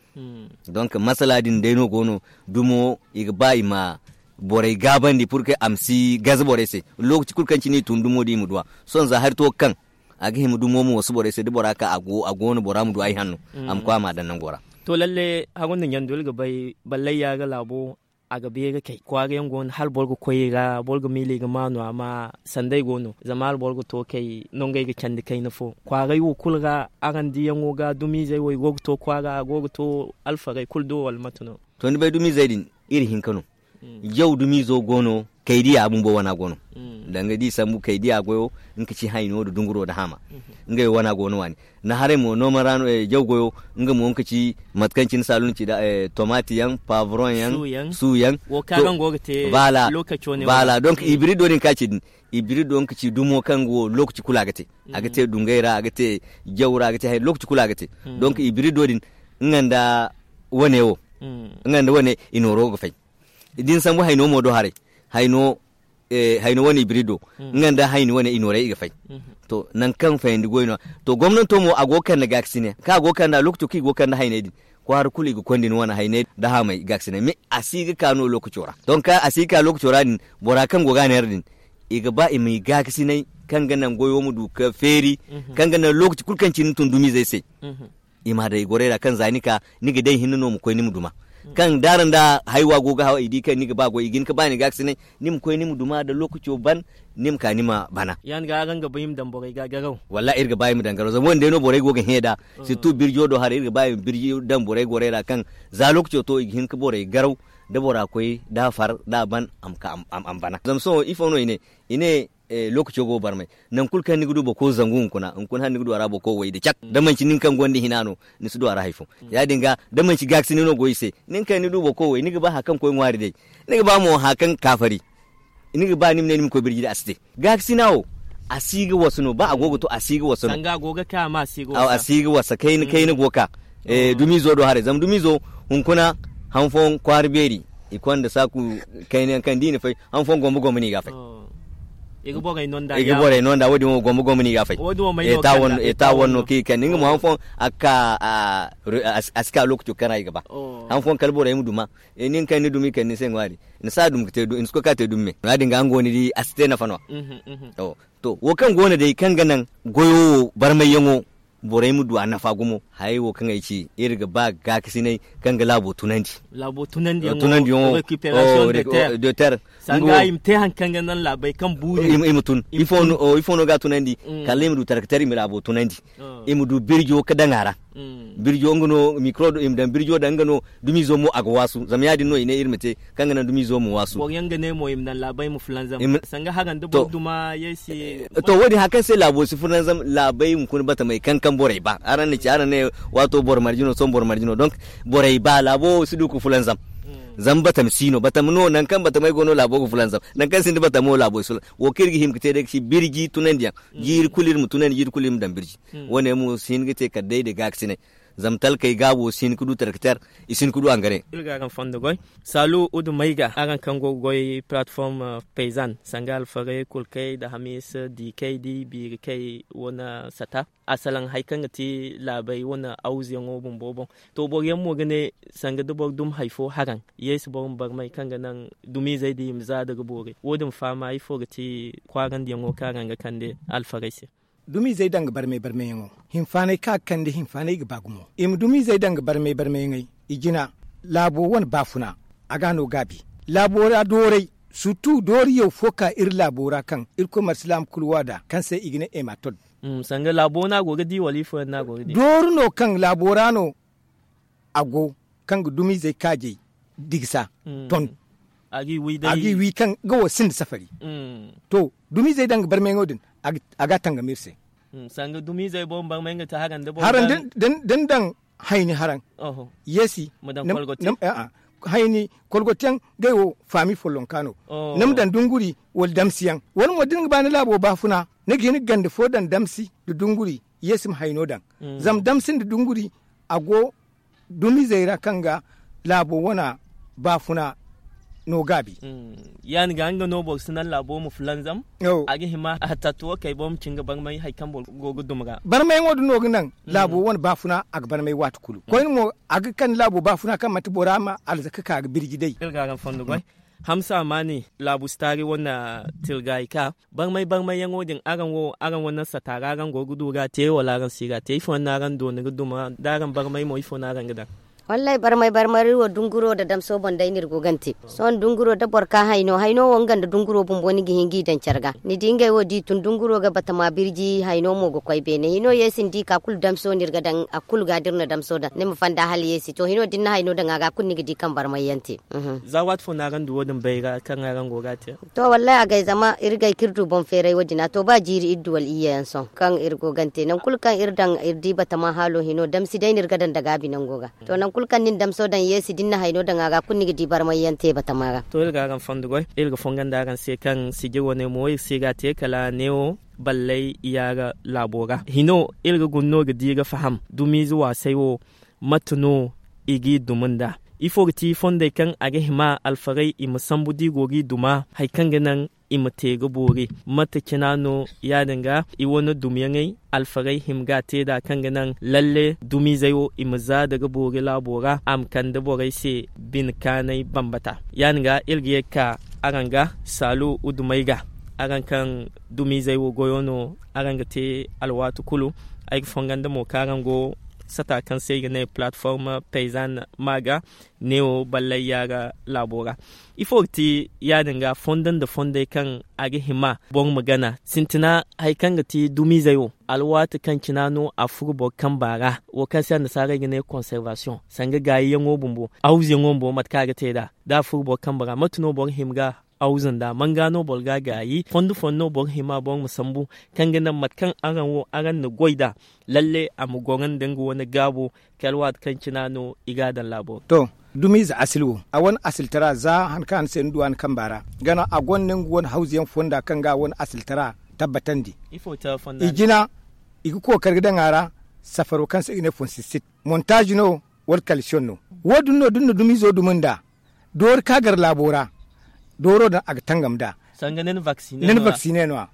Donk masala din day no go no dumo i ga ba i ma borey gaabandi pur ke a ma si gaze borey se. Lookaci kulu kaŋ cine i tun dumo din i ma duwa sohõ za hari to ga kaŋ a ga hima dumo ma wasu borey se da bora ka a go no bora ma du ay hanno a ma koy a ma a daŋ nango ra. To lalle hagu nda ɲandu iri ga bay ballay ya ga laabo a ga beeri kay kwaara yaŋ go no hala boro ga koy i ra boro ga miila i ga maanu amma sanday go no zama hala boro ga to kay nangey ga candi kayna fo kwaaray wo kulu ra araŋ diyaŋo ga dumiizey wo i go ga to kwaara a go ga to alfarey kulu do wala mate no? To ni bay dumiizey din iri hinka no. Jaw dumiizo go no kay diya bumbo wana go no. Danga da i sambu kay diya goyo nga ka ci hayno nda dunguro nda haama. Ngey wana go no waani ni haray mo nooma ra no jaw goyo nga mo nga ka ci mate kaŋ cine saalu ni ci da tomati yaŋ pavron yaŋ su yaŋ. Wo kaŋ araŋ go ga te lokaco ne wala donk ibirido din kaŋ a ci din ibirido nga ka ci dumo kaŋ go lokaci kulu a ga te. A ga te dungay ra a ga te jaw ra a ga te hayno lokaci kulu a ga te. Donk ibirido din nga nda wane wo nga nda wane i nooro ga fay. Da ni sambu hayno mo do haray hayno wane ibirido nga nda hayni wane i nooray i ga fay. To nangu kaŋ fayandi goy no to gomnanto mo a go ga kande gaakasine kaŋ a go ga kande a lookaco kaŋ i go ga kande hayney din kwaara kulu i ga konda ni wane hayney nda haamay gaakasine mais a si ga ka no lookaco ra donk a si ga ka lookaco ra din bora kaŋ go ga a neera din i ga ba i ma i gaakasinay kaŋ ga naŋ goyo ma du ga feeri kaŋ ga naŋ lookaci kulu kaŋ cine ni tun dumiizey se. I ma daŋ i gorey ra kaŋ za ni ka ni ga day hinne no ma koy ni ma duma. Kaŋ da araŋ da haywa go ga haw i di kaŋ ni ga ba goy i ga hin ga ba ni gaakasinay ni ma koy ni ma duma da lookaco ban ni ma ka ni ma bana. Ya- din ga araŋ ga ba i ma daŋ borey ga garaw? Wallahi iri ga ba i ma daŋ garaw zama wo- din day no borey go ga hẽ nd'a. Sirtu birjo do haray iri ga ba i ma birji daŋ borey gorey ra kaŋ za lookaco to i ga hin ga borey garaw da bora koy da a far da a ban a ma ka a ma bana zama sohõ ifo no i ne i ne lookaco go barmay. Nangu kulu kaŋ ni ga du boro koy zangu hunkuna hunkuna hala ni ga du a ra boro koy way nda cak da manci nin kaŋ gonda hina no ni si du a ra hari fo. Ya- din ga da manci gaakasine no go i se nin kaŋ ni du boro koy way ni ga ba hari kaŋ koy ŋwaari day ni ga ba mo hari kaŋ ga ka fari. Ni ga ba ni ma ne ni ma koy birji day a si te. Gaakasina wo a si ga wasu no ba a go ga to a si ga wasu no. A si ga wasa kayna kayna go ga ka dumiizo do haray zama dumiizo hunkuna hanfoyaŋ kwaara beeri i konda saaku kayna yaŋ kaŋ da i na fay hanfoyaŋ gombo gombo no i ga a fay. I ga borey no nda wo- din wo gombo gombo no i ga a fay. Eta wane no kaŋ i kande nga mo hanfoyaŋ a ga ka a si ka lookaco kaŋ ra i ga ba hanfoyaŋ kala borey ma duma. Nin kaŋ ni dumi kande ni se ŋwaari ni si a dum ga te dumi me ya- din ga nga wo ni di a si te nafa no. To wo kaŋ go no day kaŋ ga naŋ goyo wo barmayyaŋo Borey ma du a nafa gumo. Hayey wo kaŋ ay ci, iri ga ba gaakasinay kaŋ ga laabo tunandi. Laabo tunandi yaŋo, tunandi yaŋo, récupération de terre. Sanga i ma te hari kaŋ ga naŋ laabey kaŋ buuri i ma tun. Ifo no ga a tunandi? Kala i ma du tarkatar i ma laabo tunandi. I ma du birjo ga daŋ a ra. Birjo nga no mikro i ma daŋ birjo daŋ nga no. Dumiizo mo a ga waasu zama ya- din no i ne iri ma te kaŋ ga naŋ dumiizo ma waasu. Boro yaŋ ga ne mo i ma naŋ laabey ma fulanzam. Sanga haran da boro duma yeesi. To wo- din hari kaŋ se laabo si fulanzam laabey hunkuna batamey kaŋ kaŋ borey ba araŋ na ci araŋ ne, waato boro marje no sohõ boro marje no donk borey ba laabo wo si du ga fulanzam. Zama batam si no batam no nangu kaŋ batamey go no laabo ga fulanzam. Nangu kaŋ sinda batam wo laabo si fulanzam. Wo kaŋ iri ga hima ga te day ga ci birji tunandiyaŋ. Jiiri kulu iri ma tunandi jiiri kulu iri ma daŋ birji. Wo- ne mo si hin ga te kala day da gaakasinay. Zama talkey gaabo si hin ga du tarkatar, i si hin ga du angare. Iri ga araŋ fondo goy. Saalu udu mayga araŋ kaŋ go ga goy platform payzan sanga alfarey kulkey nda hamiisa diikey nda i biirikey wane sata. Asalaŋ hari kaŋ ga ti laabey wane awuzuyaŋo bumbo boŋ. To boro yaŋ mo ga ne, sanga da boro dum hari fo haraŋ, yeesi boro ma barmay kaŋ ga naŋ dumiizey din i ma za nda ga boori wo- din faama ifo ga ti kwaarandiyaŋo kaŋ araŋ ga kande alfarey se? Dumiizey daŋ ga barmay barmayyaŋo, hinfaanay kaŋ a ga kande hinfaanay ga ba gumo. I ma dumiizey daŋ ga barmay barmayyaŋey. I jina laabo wane baafuna, a ga no gaabi. Laabo ra dooray, surtu dooriyaw fo ka iri laabo ra kaŋ irkoy marsilaama kulu wa nd'a kaŋ se i ga ne ematod. Sanga laabo no a go ga di wala ifo yaŋ no a go ga di? Dooru no kaŋ laabo ra no a go, kaŋ ga dumiizey kaajey digisa ton. A g'i wi kaŋ ga wo sinda safari. To, dumiizey daŋ ga barmayyaŋo din, a ga a tangam iri se. Sanga dumiizey boro ma barmay nga te haraŋ da boro haraŋ da ni daŋ hayni haraŋ. Yeesi, hayni kolgotiyaŋ, ngey wo faami follonka no. Ni ma daŋ dunguri wala damsiyaŋ wala mo da ni ga ba ni laabo baafuna, ni ga hin ga ganda fo daŋ damsi nda dunguri. Yeesi ma hayno daŋ. Zama damsi nda dunguri a go dumiizey ra kaŋ ga laabo wana baafuna no gaabi. Ya- din ga nga no boro si naŋ laabo ma fulanzam. A ga hima a tattuwo kay boro ma cin ga barmay hari kaŋ boro go ga dum ra. Barmayyaŋo din no ga naŋ laabo wane baafuna a ga barmay waati kulu koyne mo, a ga kande laabo baafuna kaŋ manti bora ma alzaka ka ga birji day. Iri ga araŋ fondo goy. Hamsa maani laabu si taari wane tilgaayi ka barmay barmayyaŋo din araŋ wo araŋ wane sata ra araŋ go ga du ga a te wala araŋ si ga a te ifo yaŋ no araŋ dooni ga duma da araŋ barmay mo ifo no araŋ ga daŋ? Wallaahi barmay barmay wo dunguro nda damso boŋ day no iri go ga ni te. Sohõ dunguro da boro ka hayno hayno wo nga nda dunguro bumbo ni ga hin g'i daŋ care ga ni di ngey wo d'i tun dunguro ga batama birji hayno mo ga koy beene hino yeesi ni di ka kulu damso no iri ga daŋ a kulu ga da iri na damso daŋ ni ma fanda hala yeesi to hino da ni na hayno daŋ a ga kulu ni ga di kaŋ barmay yaŋ te. Za waati fo no araŋ du wo- din bayra kaŋ araŋ go ga a te? To wallaahi a gay zama iri gay kaŋ iri du boŋ feeray wo- din a to ba jiiri iri du wala iyye yaŋ sohõ kaŋ iri go ga ni te nangu kulu kaŋ iri daŋ iri di batama haalo hino damsi day no iri ga daŋ da gaabi nango ga. To nangu kulu kaŋ ni na damso daŋ yeesi da ni na hayno daŋ a ga kulu ni ga di barmay yaŋ te batama ra. To iri ga araŋ fondo goy iri ga fonga nda araŋ se kaŋ sijiro ne mo iri si ga a te kala neewo ballay yaara laabo ra hino iri ga guna no ga di ga faham dumiize waasay wo. Mate no i g'i duma nd'a? Ifo ga ti fondey kaŋ a ga hima alfarey i ma sambu d'i go g'i duma hari kaŋ ga naŋ i ma te ga boori? Mate cina no ya- din ga i wane dumyaŋey alfarey hima ga a te nd'a kaŋ ga naŋ lalle dumiizey wo i ma za daga boori laabo ra a ma kande borey se bine kaanay bambata? Ya- din ga iri ga ye ga ka araŋ ga saalu udumey ga araŋ kaŋ dumiizey wo goyo no araŋ ga te alwaati kulu. Ay ga fonga nda mo kaŋ araŋ go sata kaŋ se i ga ne platform payzan ma ga neewo ballay yaara laabo ra. Ifo ga ti ya- din ga fondo nda fondey kaŋ a ga hima boro ma gana sintina hari kaŋ ga ti dumiizey wo alwaati kaŋ cina no a furo boro kamba ra wo kaŋ se annasaarey ga ne conservation sanga gaayiyaŋo bumbo awuzuyaŋo bumbo mate kaŋ a ga te nd'a da a furo boro kamba ra mate no boro hima ga awuzu nd'a manga no boro ga a gaayi fondo fondo no boro hima boro ma sambu kaŋ ga naŋ mate kaŋ araŋ wo araŋ na goy nd'a lalle a ma goro nda nga wane gaabo kala waati kaŋ cina no i ga a daŋ laabo ra. To dumiize asil wo a wane asiltara za han kaŋ a na se ni du a ni kamba ra gana a gonda nga wane hawzuyaŋ fonda kaŋ ga a wane asiltara tabbatandi. I jina i ga kookari ga daŋ a ra safaro kaŋ se i ga ne fonsisit montaazi no wala kalisiyoŋ no. Wo- din no da ni na dumiizo dumi nd'a doori ka gar laabo ra dooro din a ga tangam nd'a. Sanga ni na vaksine no- a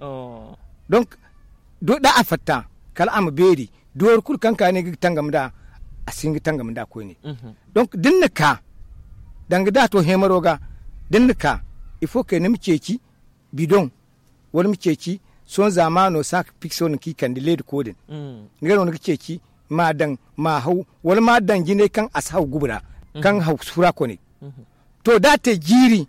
donk da a fatta kala a ma beeri doori kulu kaŋ ka ne ga tangam nd'a a si hin ga tangam nd'a koyne. Donk da ni na ka danga da a to heemaro ga da ni na ka ifo kay ni ma ceeci bidoŋ wala ma ceeci Sohõ zaamaano saaka pikso no kaŋ i kande leediko din. Nga no ni ga ceeci ma a daŋ ma a haw, wala ma a daŋ jinay kaŋ a si haw gubu ra, kaŋ haw sura kone. To da a te jiiri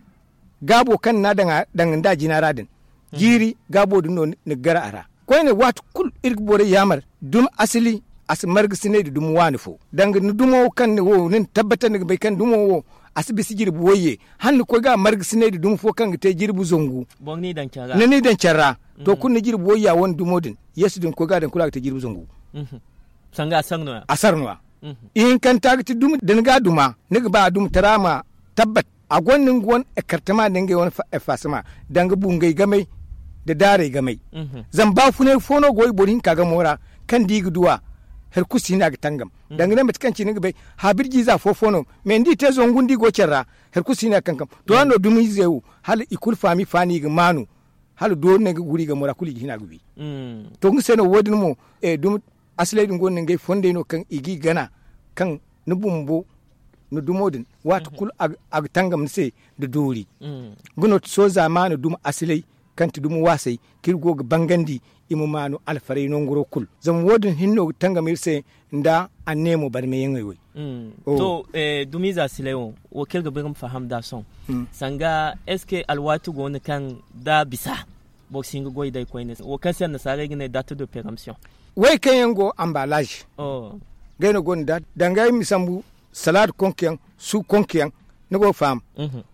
gaabo kaŋ ni n'a daŋ nda a jina ra din, jiiri gaabo din no ni ga gar a ra. Koyne waati kulu iri ga borey yaamar dumi asali, a si margasinay nda dumi waani fo. Danga ni dumo kaŋ ni wo ni na tabbatar ni ga bay kaŋ dumo wo a si bisa jirbi wayye, hala ni koy ga a margasinay nda dumi fo kaŋ ga te jirbi zangu. Ni n'i daŋ care ra. To kulu ni jirbi wayya wane dumo din, yeesu din koy ga a daŋ kulu a ga te jirbi zangu. Sanga a sar no ya. A sar no ya. Ihinkanta ga ti dumi da ni ga a duma, ni ga ba a dumi tara ma tabbat. A gonda nga wane ekartama nda ngey wane effasama, danga bungay gamay nda daaray gamay. Zama baafunay fo no go i boro hinka gamo ra, kaŋ da i ga du a, hari kulu si hin a ga tangam. Danga ne mate kaŋ ci ni ga bay, haabirjiize afo fo no, me ni di te zangu nda i go care ra, hari kulu si hin a ga kankam. To yaŋ no dumiizey wo, hala i kulu faami faani i ga maanu. Hala doori no ay ga guri gamo ra kulu i ga hin a ga wi. To nga se no wo- din mo, dumi asiley din gonda ngey fondey no kaŋ i g'i gana, kaŋ ni bumbo ni dumo din, waati kulu a ga tangam ni se nda doori. Nga no ti sohõ zaamaana dumi asiley, kaŋ ti dumi waasay kaŋ iri go ga bangandi, i ma maanu alfarey nanguro kulu. Zama wo- din hinne no ga tangam iri se nda anneemo barmeyaŋey wey. To, dumiiza silay wo, wo kaŋ iri ga ba iri ma faham nd'a sohõ. Sanga est ce que alwaati go no kaŋ da bisa boro si hin ga goy day koyne, wo kaŋ se annasaarey ga ne date de peremption? Wey kaŋ yaŋ go ambalaazi. Ngey no gonda date danga ay ma sambu, salaada konku yaŋ, su konku yaŋ. Ni go ga faham.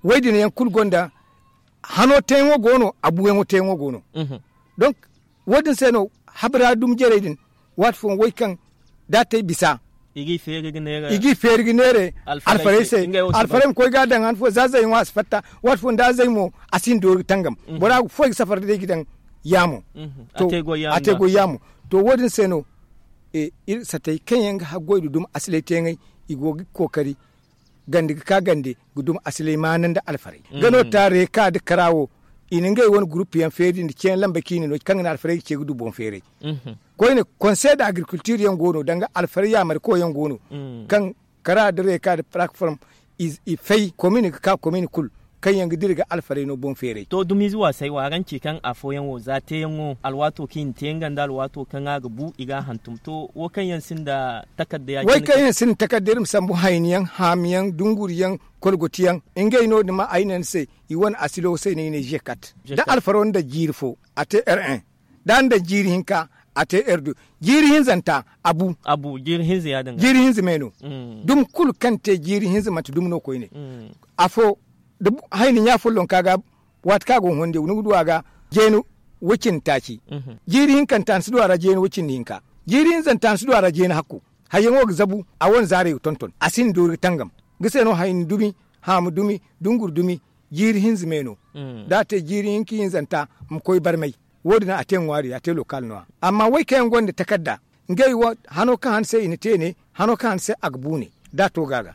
Wey din yaŋ kulu gonda hano teeyaŋo go no, a buuyaŋo teeyaŋo go no. Donk, wo- din se no habira dumi jarey din, waati fooyaŋ wey kaŋ da a te ay bisa, i g'i feeri ga neere alfarey se. Alfarey ma koy ga a daŋ han fo za zayyaŋo a si fatta. Waati fooyaŋ da zay mo, a si hin doori ga tangam. Bora ga foy ga safar day ga daŋ yaamo. To, a te goy yaamo. To wo- din se no iri satey kaŋ yaŋ ga haggoy nda dumi asilay teeyaŋey, i go ga kookari gande ga ka gande ga dumi asilay maana nda alfarey. Ga no ta reeka nda kara wo, i na ngey wane gurupu yaŋ feeri nda ceeyaŋ lambey kaŋ i na no kaŋ ga naŋ alfarey ga ce ga du boŋ feeray. Koyne, konse nda agrikultir yaŋ go no danga alfarey yaamariko yaŋ go no, kaŋ kara nda reeka nda parakform i fay komin ga ka komin kulu, kaŋ yaŋ ga dira ga alfarey no boŋ feeray. To dumiize waasay wo araŋ ci kaŋ afooyaŋ wo za teeyaŋo alwaato kaŋ i na te nga nda alwaato kaŋ a ga bu i ga a hantum to wo kaŋ yaŋ sinda takarda ya- cine kaŋ yaŋ sinda takarda iri ma sambu hayni yaŋ haami yaŋ dunguri yaŋ, kolgoti yaŋ, ngey no- din ma ay ne ni se, i wane asilo se no i ne zekat. Da alfaro nda jiiri fo, a te r1. Da a nda jiiri hinka, a te r2. Jiiri hinzanta, a bu. Jiiri hinze me no. Dumi kulu kaŋ te jiiri hinze manti dumi no koyne. Afo, da hayni ɲa follonka ga, waati kaŋ a go ga honde ni ga du a ga jeeni wacindi taaci. Jiiri hinkanta ni si du a ra jeeni wacindi hinka. Jiiri hinzanta ni si du a ra jeeni hakku. Hayyaŋo ga zabu, a wane zaarey ga tonton, a si hin doori ga tangam. Nga se no hayni dumi, haamu dumi, dunguri dumi, jiiri hinza me no. Da a te jiiri hinka hinzanta, ma koy barmay. Wo- din a te ŋwaari a te lokal no- ya. Amma wey kaŋ yaŋ gonda takarda, ngey wo hano kaŋ han se i na te ne, hano kaŋ han se a ga bu ne, da a to ga a ga.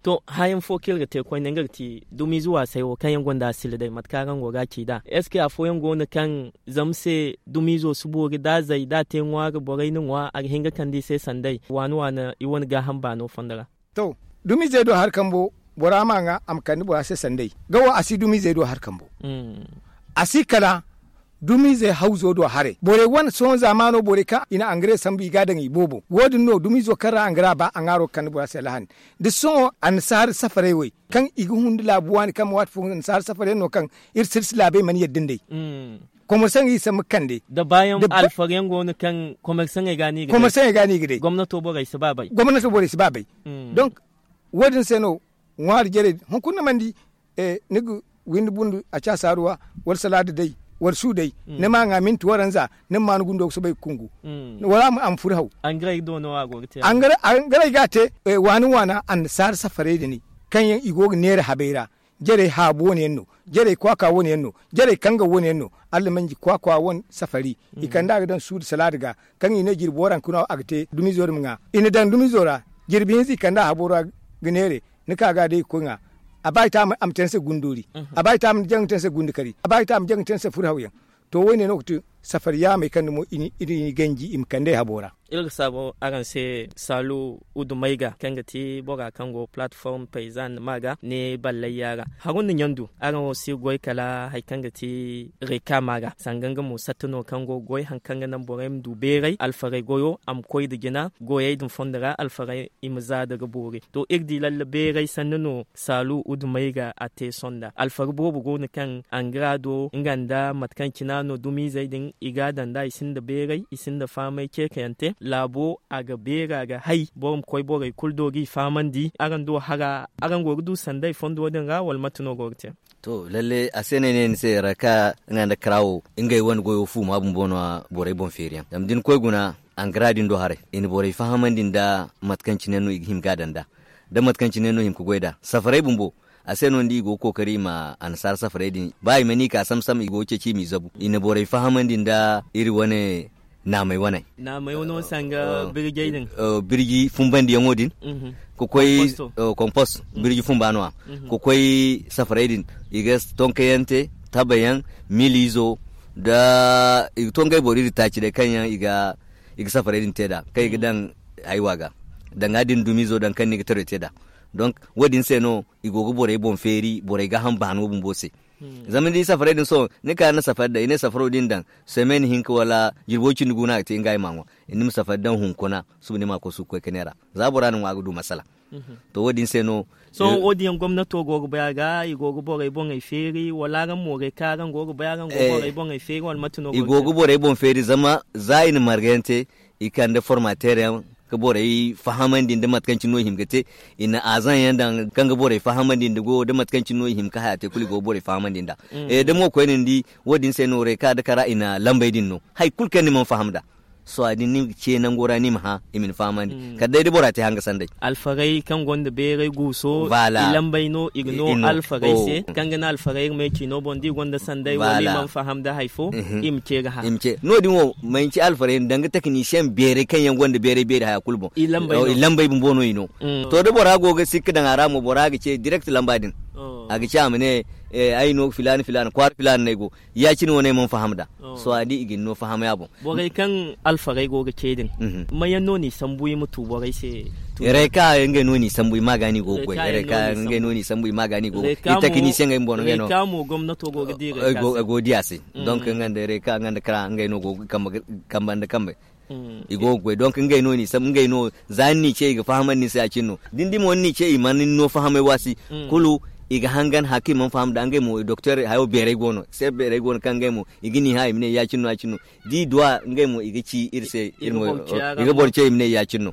To, hayaŋ fo kaŋ iri ga te koyne nga ga ti dumiize waasay wo kaŋ yaŋ gonda a sila day mate kaŋ araŋ go ga a ci nd'a est ce que afooyaŋ go no kaŋ zama se dumiizo si boori da a zay da a te ŋwaari borey na ŋwa a ga hin ga kande i se sanday waani waani i wane gaaham baano fondo ra? To, dumiizey do hari kambo, bora ma ŋwa a ma kande bora se sanday ga wo a si dumiizey do hari kambo. A si kala dumiizey hawzo do haray borey wane sohõ zaamaano borey kaŋ i na angare sambu i ga a daŋ i boobo wo- din no dumiizo kaŋ ra angara ba a ŋwaaro ga kande bora se lahani. Da sohõ annasaara safarey wey kaŋ i ga hundu laabu waani kaŋ waati fo annasaara safarey no kaŋ iri silsilaabey mana yadda nd'ey. Komersaŋey i sambu ga kande da baayaŋ alfaryaŋ go no kaŋ komersaŋey ga no i ga day gomnato borey si ba bay. Donk, wo- din se no ŋwaari jarey hunkuna mana di ni ga windi bundu a caasaaruwa wala salaada day wala su day ni ma ŋwa minti waranza ni ma maanu gundo ga soobay ga kungu wala a ma furu haw. Angarey ga a te waani waana annasaara safarey din kaŋ yaŋ i go ga neera habey ra. Jarey haabu wane yaŋ no, jarey kwaakwa wane yaŋ no, jarey kanga wane yaŋ no. Allamanji kwaakwa wane safari i kande a ga daŋ suudu salaada ga kaŋ i ne jirbi waranka no a ga te dumiizo din ma ŋwa. I na daŋ dumiizo ra jirbi hinza i kande a habo ra ga neere. Ni ka ga day ga koy ŋwa a ba i te a ma te ni se gundoori. A ba i te a ma jaŋ te ni se gundukari a ba i te a ma jaŋ te ni se furhawyaŋ. To wo- ne no ga ti safari yaamey kaŋ dumo i n'i ganji i ma kande ay habo ra. Iri ga saabu araŋ se saalu udumayga kaŋ ga ti bora kaŋ go platform payzan ma ga ne ballayya ra. Haru nda ɲandu araŋ wo si goy kala hari kaŋ ga ti reka ma ga sanga nga mo satta no kaŋ go ga goy hari kaŋ ga naŋ borey ma du beeray alfaray goyo a ma koy nda jina goyey din fondo ra alfaray i ma za nda ga boori. To iri di lalle beeray sanni no saalu udumayga a te sonda alfari boobo go no kaŋ angra do nga nda mate kaŋ cina no dumiizey din i ga a daŋ nd'a i sinda beeray i sinda fahamay ceekayaŋ te laabo a ga beera ga hay boro ma koy borey kulu do g'i fahamandi araŋ do hara araŋ go ga du sanday fondo din ra wala mate no go ga te? To lalle a se no ay ne ni se raka nga nda kara wo ngey wane goyo fuuma bumbo no a borey boŋ feeriyaŋ zama da ni koy guna angra din do haray i na borey fahamandi nda mate kaŋ cine no i ga hima ga a daŋ nd'a da mate kaŋ cine no hima ga goy nd'a safaray bumbo. A se no ni di i go ga kookari i ma annasaara safaray din ba i mana i ka sam-sam i go ga ceeci i m'i zabu i na borey fahamandi nda iri wane naamey wane naamey wane wo sanga birjey din birji fumbandiyaŋo din ka koy kompost birji fumba no- ya ka koy safaray din i ga tonkayaŋ te tabayaŋ miliizo nda i ga to ngey boro iri taaci day kaŋ yaŋ i ga safaray din te nd'a kaŋ i ga daŋ haywa ga danga din dumiizo daŋ kaŋ no i ga taray te nd'a. Donc wo- din se no i go ga borey boŋ feeri borey gaaham baano bumbo se. Zama ni di safaray din sohõ ni ka ni na safari daŋ i ne safaro da ni daŋ semen hinka wala jirbo cindi gu no a ga te nga ay m'a ŋwa ni ma safari daŋ hunkuna suba ni m'a kosu ga koy ka neera za bora na ŋwa a ga du masala. To wo- din se no sohõ wo- din yaŋ gomnato go ga bay a ga i go ga borey boŋey feeri wala araŋ mo reka araŋ go ga bay araŋ go ga borey boŋey feeri wala mate no i go ga borey boŋ feeri zama za i na marga yaŋ te i kande formateer yaŋ ka borey fahamandi nda mate kaŋ cine no i hima ga te i na azaŋ yaŋ daŋ kaŋ ga borey fahamandi nda goyo da mate kaŋ cine no i hima ga haya te kulu i go ga borey fahamandi nd'a. Da mo koyne ni di wo- din se no reka nda kara i na lambey din no hari kulu kaŋ ni mana faham nd'a sohõ din ni ga ce nango ra ni ma hã i ma ni fahamandi kala day da bora te hanga sanday. Alfarey kaŋ gonda beeray guuso i lambey no i ga no alfarey se kaŋ ga ne alfarey iri ma ay ciino boŋ da i gonda sanday wala i mana faham nda hari fo i ma ce ga hã. No- din wo manci alfarey no danga tekinisiyeŋ beeray kaŋ yaŋ gonda beeray beeri haya kulu boŋ i lambey bumbo no i no. To da bora go ga sikka daŋ a ra mo bora ga ce direct lamba din a ga ce a ma ne ay no filaana filaana kwaara filaana no ay go ya- cine wane ay mana faham nd'a. Sohõ a di i ga ni no fahamay a boŋ borey kaŋ alfarey go ga ce din mayaŋ no ni sambu i ma tu borey se? Reka ngey no ni sambu i ma ga ni go ga goy reka ngey no ni sambu i ma ga ni go ga goy i takinisiyeŋ ngey bumbo no ngey no reka mo gomnato go ga di reka se ay go ga di a se. Donc nga nda reka nga nda kara ngey no go ga kamba nda kambey i go ga goy donc ngey no ni sambu ngey no za ni n'i ce i ga fahamandi ni se ya- cine no da ni di mo ni n'i ce i mana ni no fahamay waasi kulu i ga hangan hari kaŋ i mana faham nd'a ngey mo doktor hayo beeray go no se beeray go no kaŋ ngey mo i ga ni hã i ma ne ya- cine no ya- cine no da i duw'a ngey mo i ga ci iri se iri mo i ga boro ce i ma ne ya- cine no.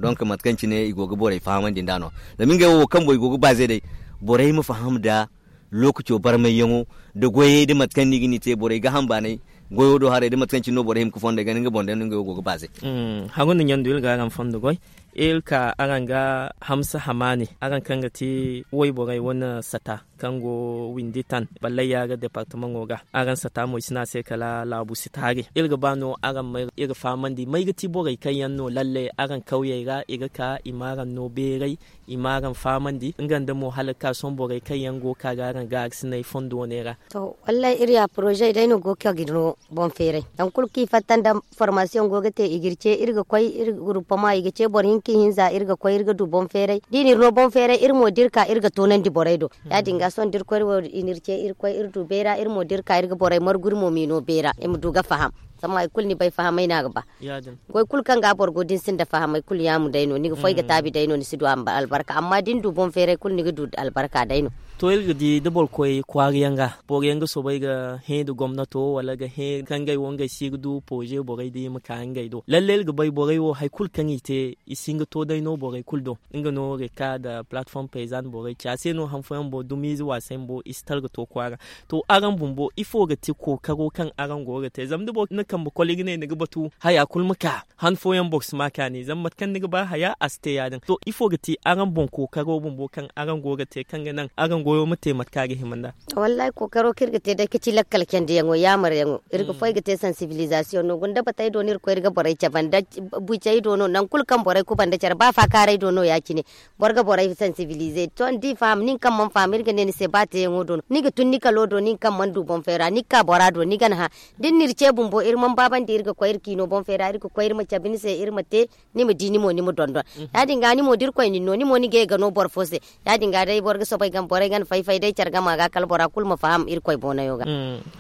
Donc mate kaŋ cine i go ga borey fahamandi nd'a no zama ngey wo wo kaŋ boŋ i go ga baaze day borey ma faham nda lookaco barmayyaŋo nda goyey nda mate kaŋ no i ga ni te borey gaaham baanay goyo do haray nda mate kaŋ cine no borey hima ga fondo ay ga ne nga boŋ day no ngey wo go ga baaze. Hagu nda ɲandu iri ga araŋ fondo goy iri ka araŋ ga hamsa hamaani araŋ kaŋ ga ti wayborey wane sata kaŋ go windi tan ballayya ga departamaŋo ga araŋ sata mo i si ne a se kala laabu sitaari iri ga ba no araŋ ma iri fahamandi may ga ti borey kaŋ yaŋ no lalle araŋ kawyey ra i ga ka i ma araŋ no beeray i ma araŋ fahamandi nga nda mo hala ga ka sohõ borey kaŋ yaŋ go ga ka ga araŋ gaarisinay fondo wane ra. To wallaahi iri ya poroze day no go ga ka ga iri no boŋ feeray nangu kulu kaŋ i fatta nda formasiyoŋ go ga te i ga iri ce iri ga koy iri ga gurupama i ga ce boro hinka ihinza iri ga koy iri ga du boŋ feeray da i na iri no boŋ feeray iri mo da iri ka iri ga toonandi borey do ya- din ga sohõ da iri koy iri wo i na iri ce iri koy iri du beera iri mo da iri ka iri ga borey margu iri mo m'i no beera i ma du ga faham. Zama hari kulu ni bay fahamay no a ga ba goy kulu kaŋ ga boro go da ni sinda fahamay kulu yaamu day no ni ga foy ga taabi day no ni si du albarka amma da ni du boŋ feeray kulu ni ga du albarka day no. To iri ga di da boro koy kwaara yaŋ ga boro yaŋ ga soobay ga hẽ nda gomnato wala ga hẽ kaŋ ngey wo ngey si ga du pooze borey da i ma ka ngey do lalle iri ga bay borey wo hari kulu kaŋ i te i si hin ga to day no borey kulu do. Nga no reka nda platform payzan borey ci a se no han fooyaŋ boro dumiize waasay bumbo i si tara ga to kwaara. To araŋ bumbo ifo ga ti kookaro kaŋ araŋ go ga te zama da boro na kambe koli ga ne ni ga batu haya kulu ma ka han fooyaŋ boro si ma kaani zama mate kaŋ ni ga ba haya a si te ya- din to ifo ga ti araŋ boŋ kookaro bumbo kaŋ araŋ go ga te kaŋ ga naŋ araŋ Goyo ma te mate kaŋ a ga hima nd'a. Wallaahi kookaro kaŋ iri ga te day ga ci lakkal candiyaŋo yaamaryaŋo. Iri ga foy ga te sansibilizasiyoŋ no gunda batey do no iri ga koy iri ga borey cabe nda bucey do no nangu kulu kaŋ borey kuba nda care ba faakaaray do no ya- cine. Boro ga borey sansibilize to ni di faham nin kaŋ mana faham iri ga ne ni se ba teeyaŋo do no ni ga tun ni kalo do nin kaŋ mana du boŋ feera ni ga ka bora do ni ga ni hã. Da ni na iri ce bumbo iri mana baabandi iri ga koy iri kiino boŋ feera iri ga koy iri ma cabe ni se iri ma te. Ni ma di ni mo ni ma dondon. Ya- din ga ni mo da irkoy nin no ni mo ni ga ye ga no boro fo se. Ya- din ga day boro ga soobay ga borey ga ni fay-fay day care gama ga kala bora kulu ma faham irkoy boonayo ga.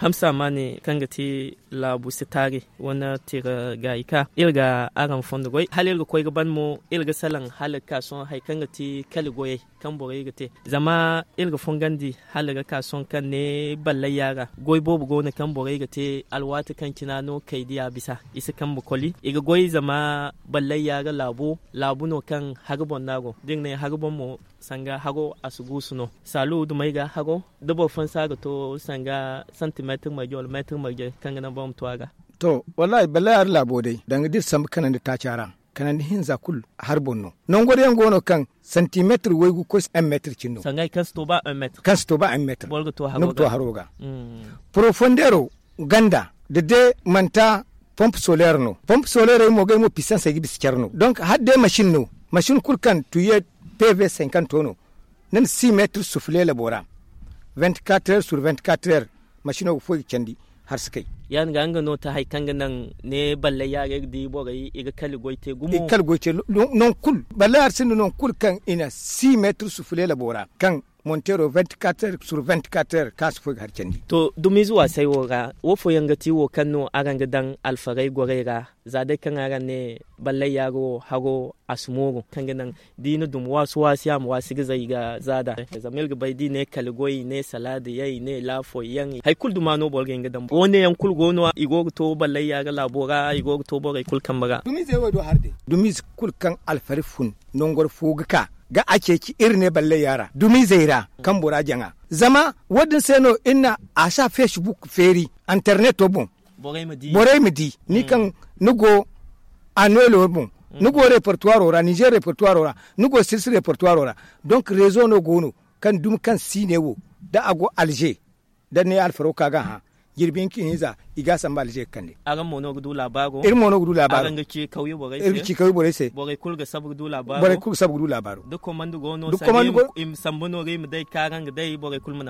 Hamsa ma ne kaŋ ga ti laabu si taari wane tira gaayi ka iri ga araŋ fondo goy hala iri ga koy ga ban mo iri ga salaŋ hala ga ka sohõ hari kaŋ ga ti kali goyey kaŋ borey ga te. Zama iri ga fungandi hala ga ka sohõ kaŋ ne ballayya ra goy boobo go no kaŋ borey ga te alwaati kaŋ cina no kay diya bisa i si kambe koli i ga goy zama ballayya ra laabo laabu no kaŋ hari boŋ no a go da iri ne hari boŋ mo sanga haro a si guusu no. Saalu dumey ga haro da boro fansa ga to sanga santimeetir marje wala meetir marje kaŋ ga naŋ boro ma to a ga. To wallaahi ballayya ra laabo day danga da iri sambu kanandi taaca ra kanandi hinza kulu hari boŋ no. Nango day yaŋ go no kaŋ santimeetir waygu koy si un meetir cine no. Sanga hari kaŋ si to ba un meetir kaŋ si to ba un meetir ni ga to haro ga. Porofondeero ganda da de manta pompe soleer no pompe soleerey mo gay mo pisansey ga bisa care no donk hala day masin no. Masin kulu kaŋ tuye pv sankanto no ni na si meetir sufule labo ra. Vingt-quatre heures sur vingt-quatre heures masino ga foy ga candi. Har si kay ya- din ga nga no ta hari kaŋ ga naŋ ne ballay yaarey ga di borey i ga kali goy te gumo i ga kali goy te. Nangu kulu ballay hari sinda nangu kulu kaŋ i na si meetir sufule labo ra kaŋ monteero vingt-quatre heures sur vingt-quatre heures kaŋ a si foy ga hari candi. To dumiize waasay wo ra wo fooyaŋ ga ti wo kaŋ no araŋ ga daŋ alfarey gorey ra za day kaŋ araŋ ne ballay yaaro wo haro a si mooru kaŋ ga naŋ da i na dum waasu waasi a ma waasi ga zay ga zaada. Zama iri ga bay da i ne kala goy i ne salaada yaŋ i ne laafo yaŋ hari kulu duma no boro ga hin ga daŋ wo- ne yaŋ kulu go no i go ga to ballay yaaro laabo ra i go ga to borey kulu kambe ra. Dumiizey wo do hari day dumiize kulu kaŋ alfari fun nangor fo ga ka ga a ceeci iri ne ballay yaara dumiizey ra kaŋ bora jaŋa. Zama wo- din se no iri na a si a facebook feeri interneto boŋ borey ma di ni kaŋ ni go anuelo boŋ ni go repertuwaro ra nizer repertuwaro ra ni go sirsi repertuwaro ra. Donk rezo no go no kaŋ dumi kaŋ si ne wo da a go alze da ne alfaro ka ga hã jirbi hinka hinza i ga a samba alze ga kande. Araŋ mo no ga du laabaaro iri mo no ga du laabaaro iri ga ci kawye borey se borey kulu ga sabu ga du laabaaro da komando go no sanda i ma sambu no ga i ma day kaŋ araŋ ga day borey kulu ma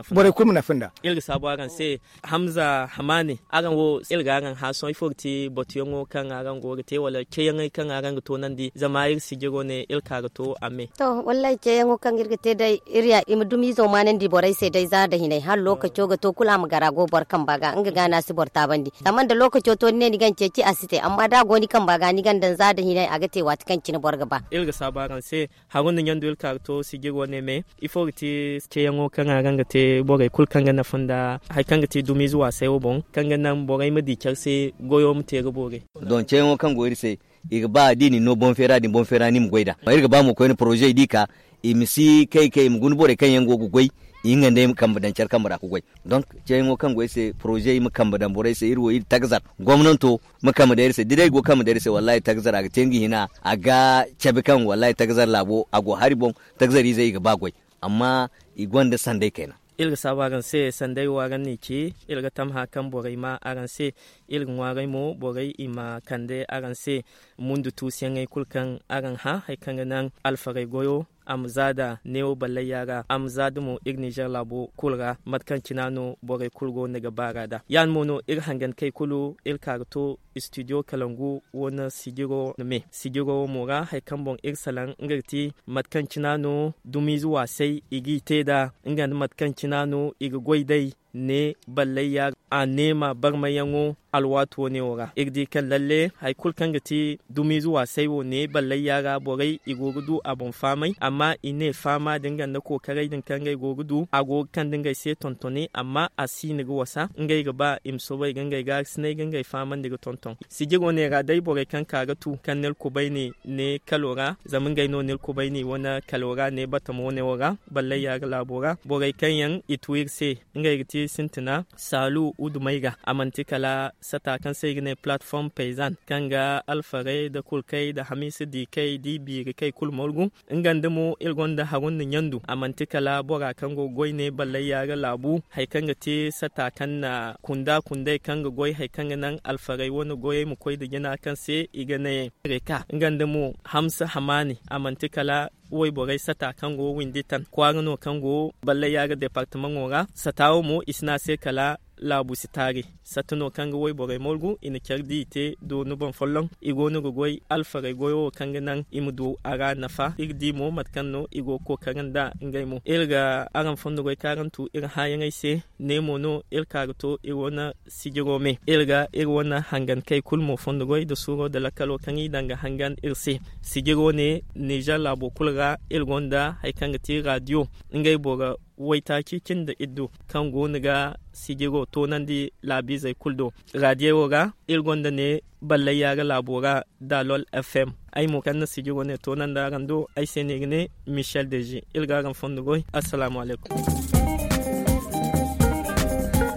nafa nda iri ga saabu araŋ se. Hamza hamaane araŋ wo iri ga araŋ hã sohõ ifo ga ti batuyaŋo kaŋ araŋ go ga te wala ceeyaŋey kaŋ araŋ ga toonandi zama iri sijiro ne iri ka ga to a me. To wallaahi ceeyaŋo kaŋ iri ga te day iri ya i ma dumiizo maanandi borey se day za nda hinay hala lookaco ga to kulu a ma gar a go boro kamba ga nga ga no a si boro taabandi zama nda lookaco to ni ne ni ga ni ceeci a si te amma da a go ni kamba ga ni ga ni daŋ za nda hinay a ga te waati kaŋ cine boro ga ba. Iri ga saabu araŋ se. Haruna ɲandu iri ka ga to sijir wane me ifo ga ti ceeyaŋo kaŋ araŋ ga te borey kulu kaŋ ga nafa nda hari kaŋ ga ti dumiize waasay wo boŋ kaŋ ga naŋ borey ma di care se goyo ma te ga boori. Don ceeyaŋo kaŋ go iri se i ga ba da i na ni no boŋ feera din boŋ feera ni ma goy nd'a iri ga ba mo koyne poroze di ka i ma si kay kay i ma guna borey kaŋ yaŋ go ga goy i hinga nd'ey ma kambe daŋ care kambe ra ga goy. Donk ceeyaŋo kaŋ go ay se poroze i ma kambe daŋ borey se iri wo iri tagazar gomnanto ma kambe daŋ iri se da day go kambe daŋ iri se wallaahi tagazar a ga te nga hina a ga cabe kaŋ wallaahi tagazar laabo a go hari boŋ. Tagazar izey i ga ba goy amma i gonda sanday kayna. Iri ga saabu araŋ se sanday wo araŋ n'i ci iri ga tamha kaŋ borey ma araŋ se iri ga ŋwaaray mo borey i ma kande araŋ se mundu tuusuyaŋey kulu kaŋ araŋ hã hari kaŋ ga naŋ alfarey goyo a ma zaada neewo ballayya ra a ma zaada mo iri nizer laabo kulu ra mate kaŋ cina no borey kulu go no ga baara nd'a ya- din mo no iri hangankey kulu iri ka ga to istidiyo kalangu wane sijiro me sijiro wo mo ra hari kaŋ boŋ iri salaŋ nga ga ti mate kaŋ cina no dumiize waasay i g'i te nd'a nga nda mate kaŋ cina no i ga goy day ne ballayya a neema barmayyaŋo alwaati wane wo ra iri di kaŋ lalle hari kulu kaŋ ga ti dumiize waasay wo ne ballayya ra borey i go ga du a boŋ faamay amma i ne faama din ganda kookaray din kaŋ ngey go ga du a go ga kande ngey se tontoni amma a si no ga wasa ngey ga ba i ma soobay ga ngey gaarisinay ga ngey faamandi ga tonton. Sijir wane ra day borey kaŋ ka ga tu kaŋ ne alkubayni ne kalo ra zama ngey no ne alkubayni wane kalo ra ne batamo wane wo ra ballayya ga laabo ra borey kaŋ yaŋ i tu iri se ngey ga ti sintina saalu wudumey ga. A manti kala sata kaŋ se i ga ne platform paysan, kaŋ ga alfarey nda kulkey nda hamiisa diikey nda i biirikey kulu margu. Nga nda mo iri gonda harun nda ɲandu, a manti kala bora kaŋ go ga goy ne ballay yaara laabu, hari kaŋ ga te sata kaŋ na kunda kundey kaŋ ga goy hari kaŋ ga naŋ alfarey wane goyey ma koy nda jina kaŋ se i ga ne reka. Nga nda mo hamsa hamaani, a manti kala wayborey sata kaŋ go windi tan kwaara no kaŋ go ballay yaara departamaŋo ra. Sata wo mo i si ne a se kala laabu si taari. Satta no kaŋ ga wayborey margu i na care di i te dooni boŋ folloŋ. I go no ga goy alfarey goyo wo kaŋ ga naŋ i ma du a ra nafa. Iri di mo mate kaŋ no i go ga kookari nda ngey mo. Iri ga araŋ fondo goy kaŋ araŋ tu iri hããyaŋey se. Ne mo no iri ka ga to iri wane sijiro me. Iri ga iri wane hangankey kulu mo fondo goy nda suuro nda lakkalo kaŋ i daŋ ga hangan iri se. Sijiro ne nizer laabo kulu ra iri gonda hari kaŋ ga ti radiyo, ngey boro waytaaci cindi iddu kaŋ go no ga sijiro toonandi laabiizey kulu do. Radiyo wo ra iri gonda ne ballay yaara laabo ra dalol fm. Ay mo kaŋ na sijiro ne toonandi araŋ do ay se no i ga ne michel dezi. Iri ga araŋ fondo goy. Assalaamu alaykum.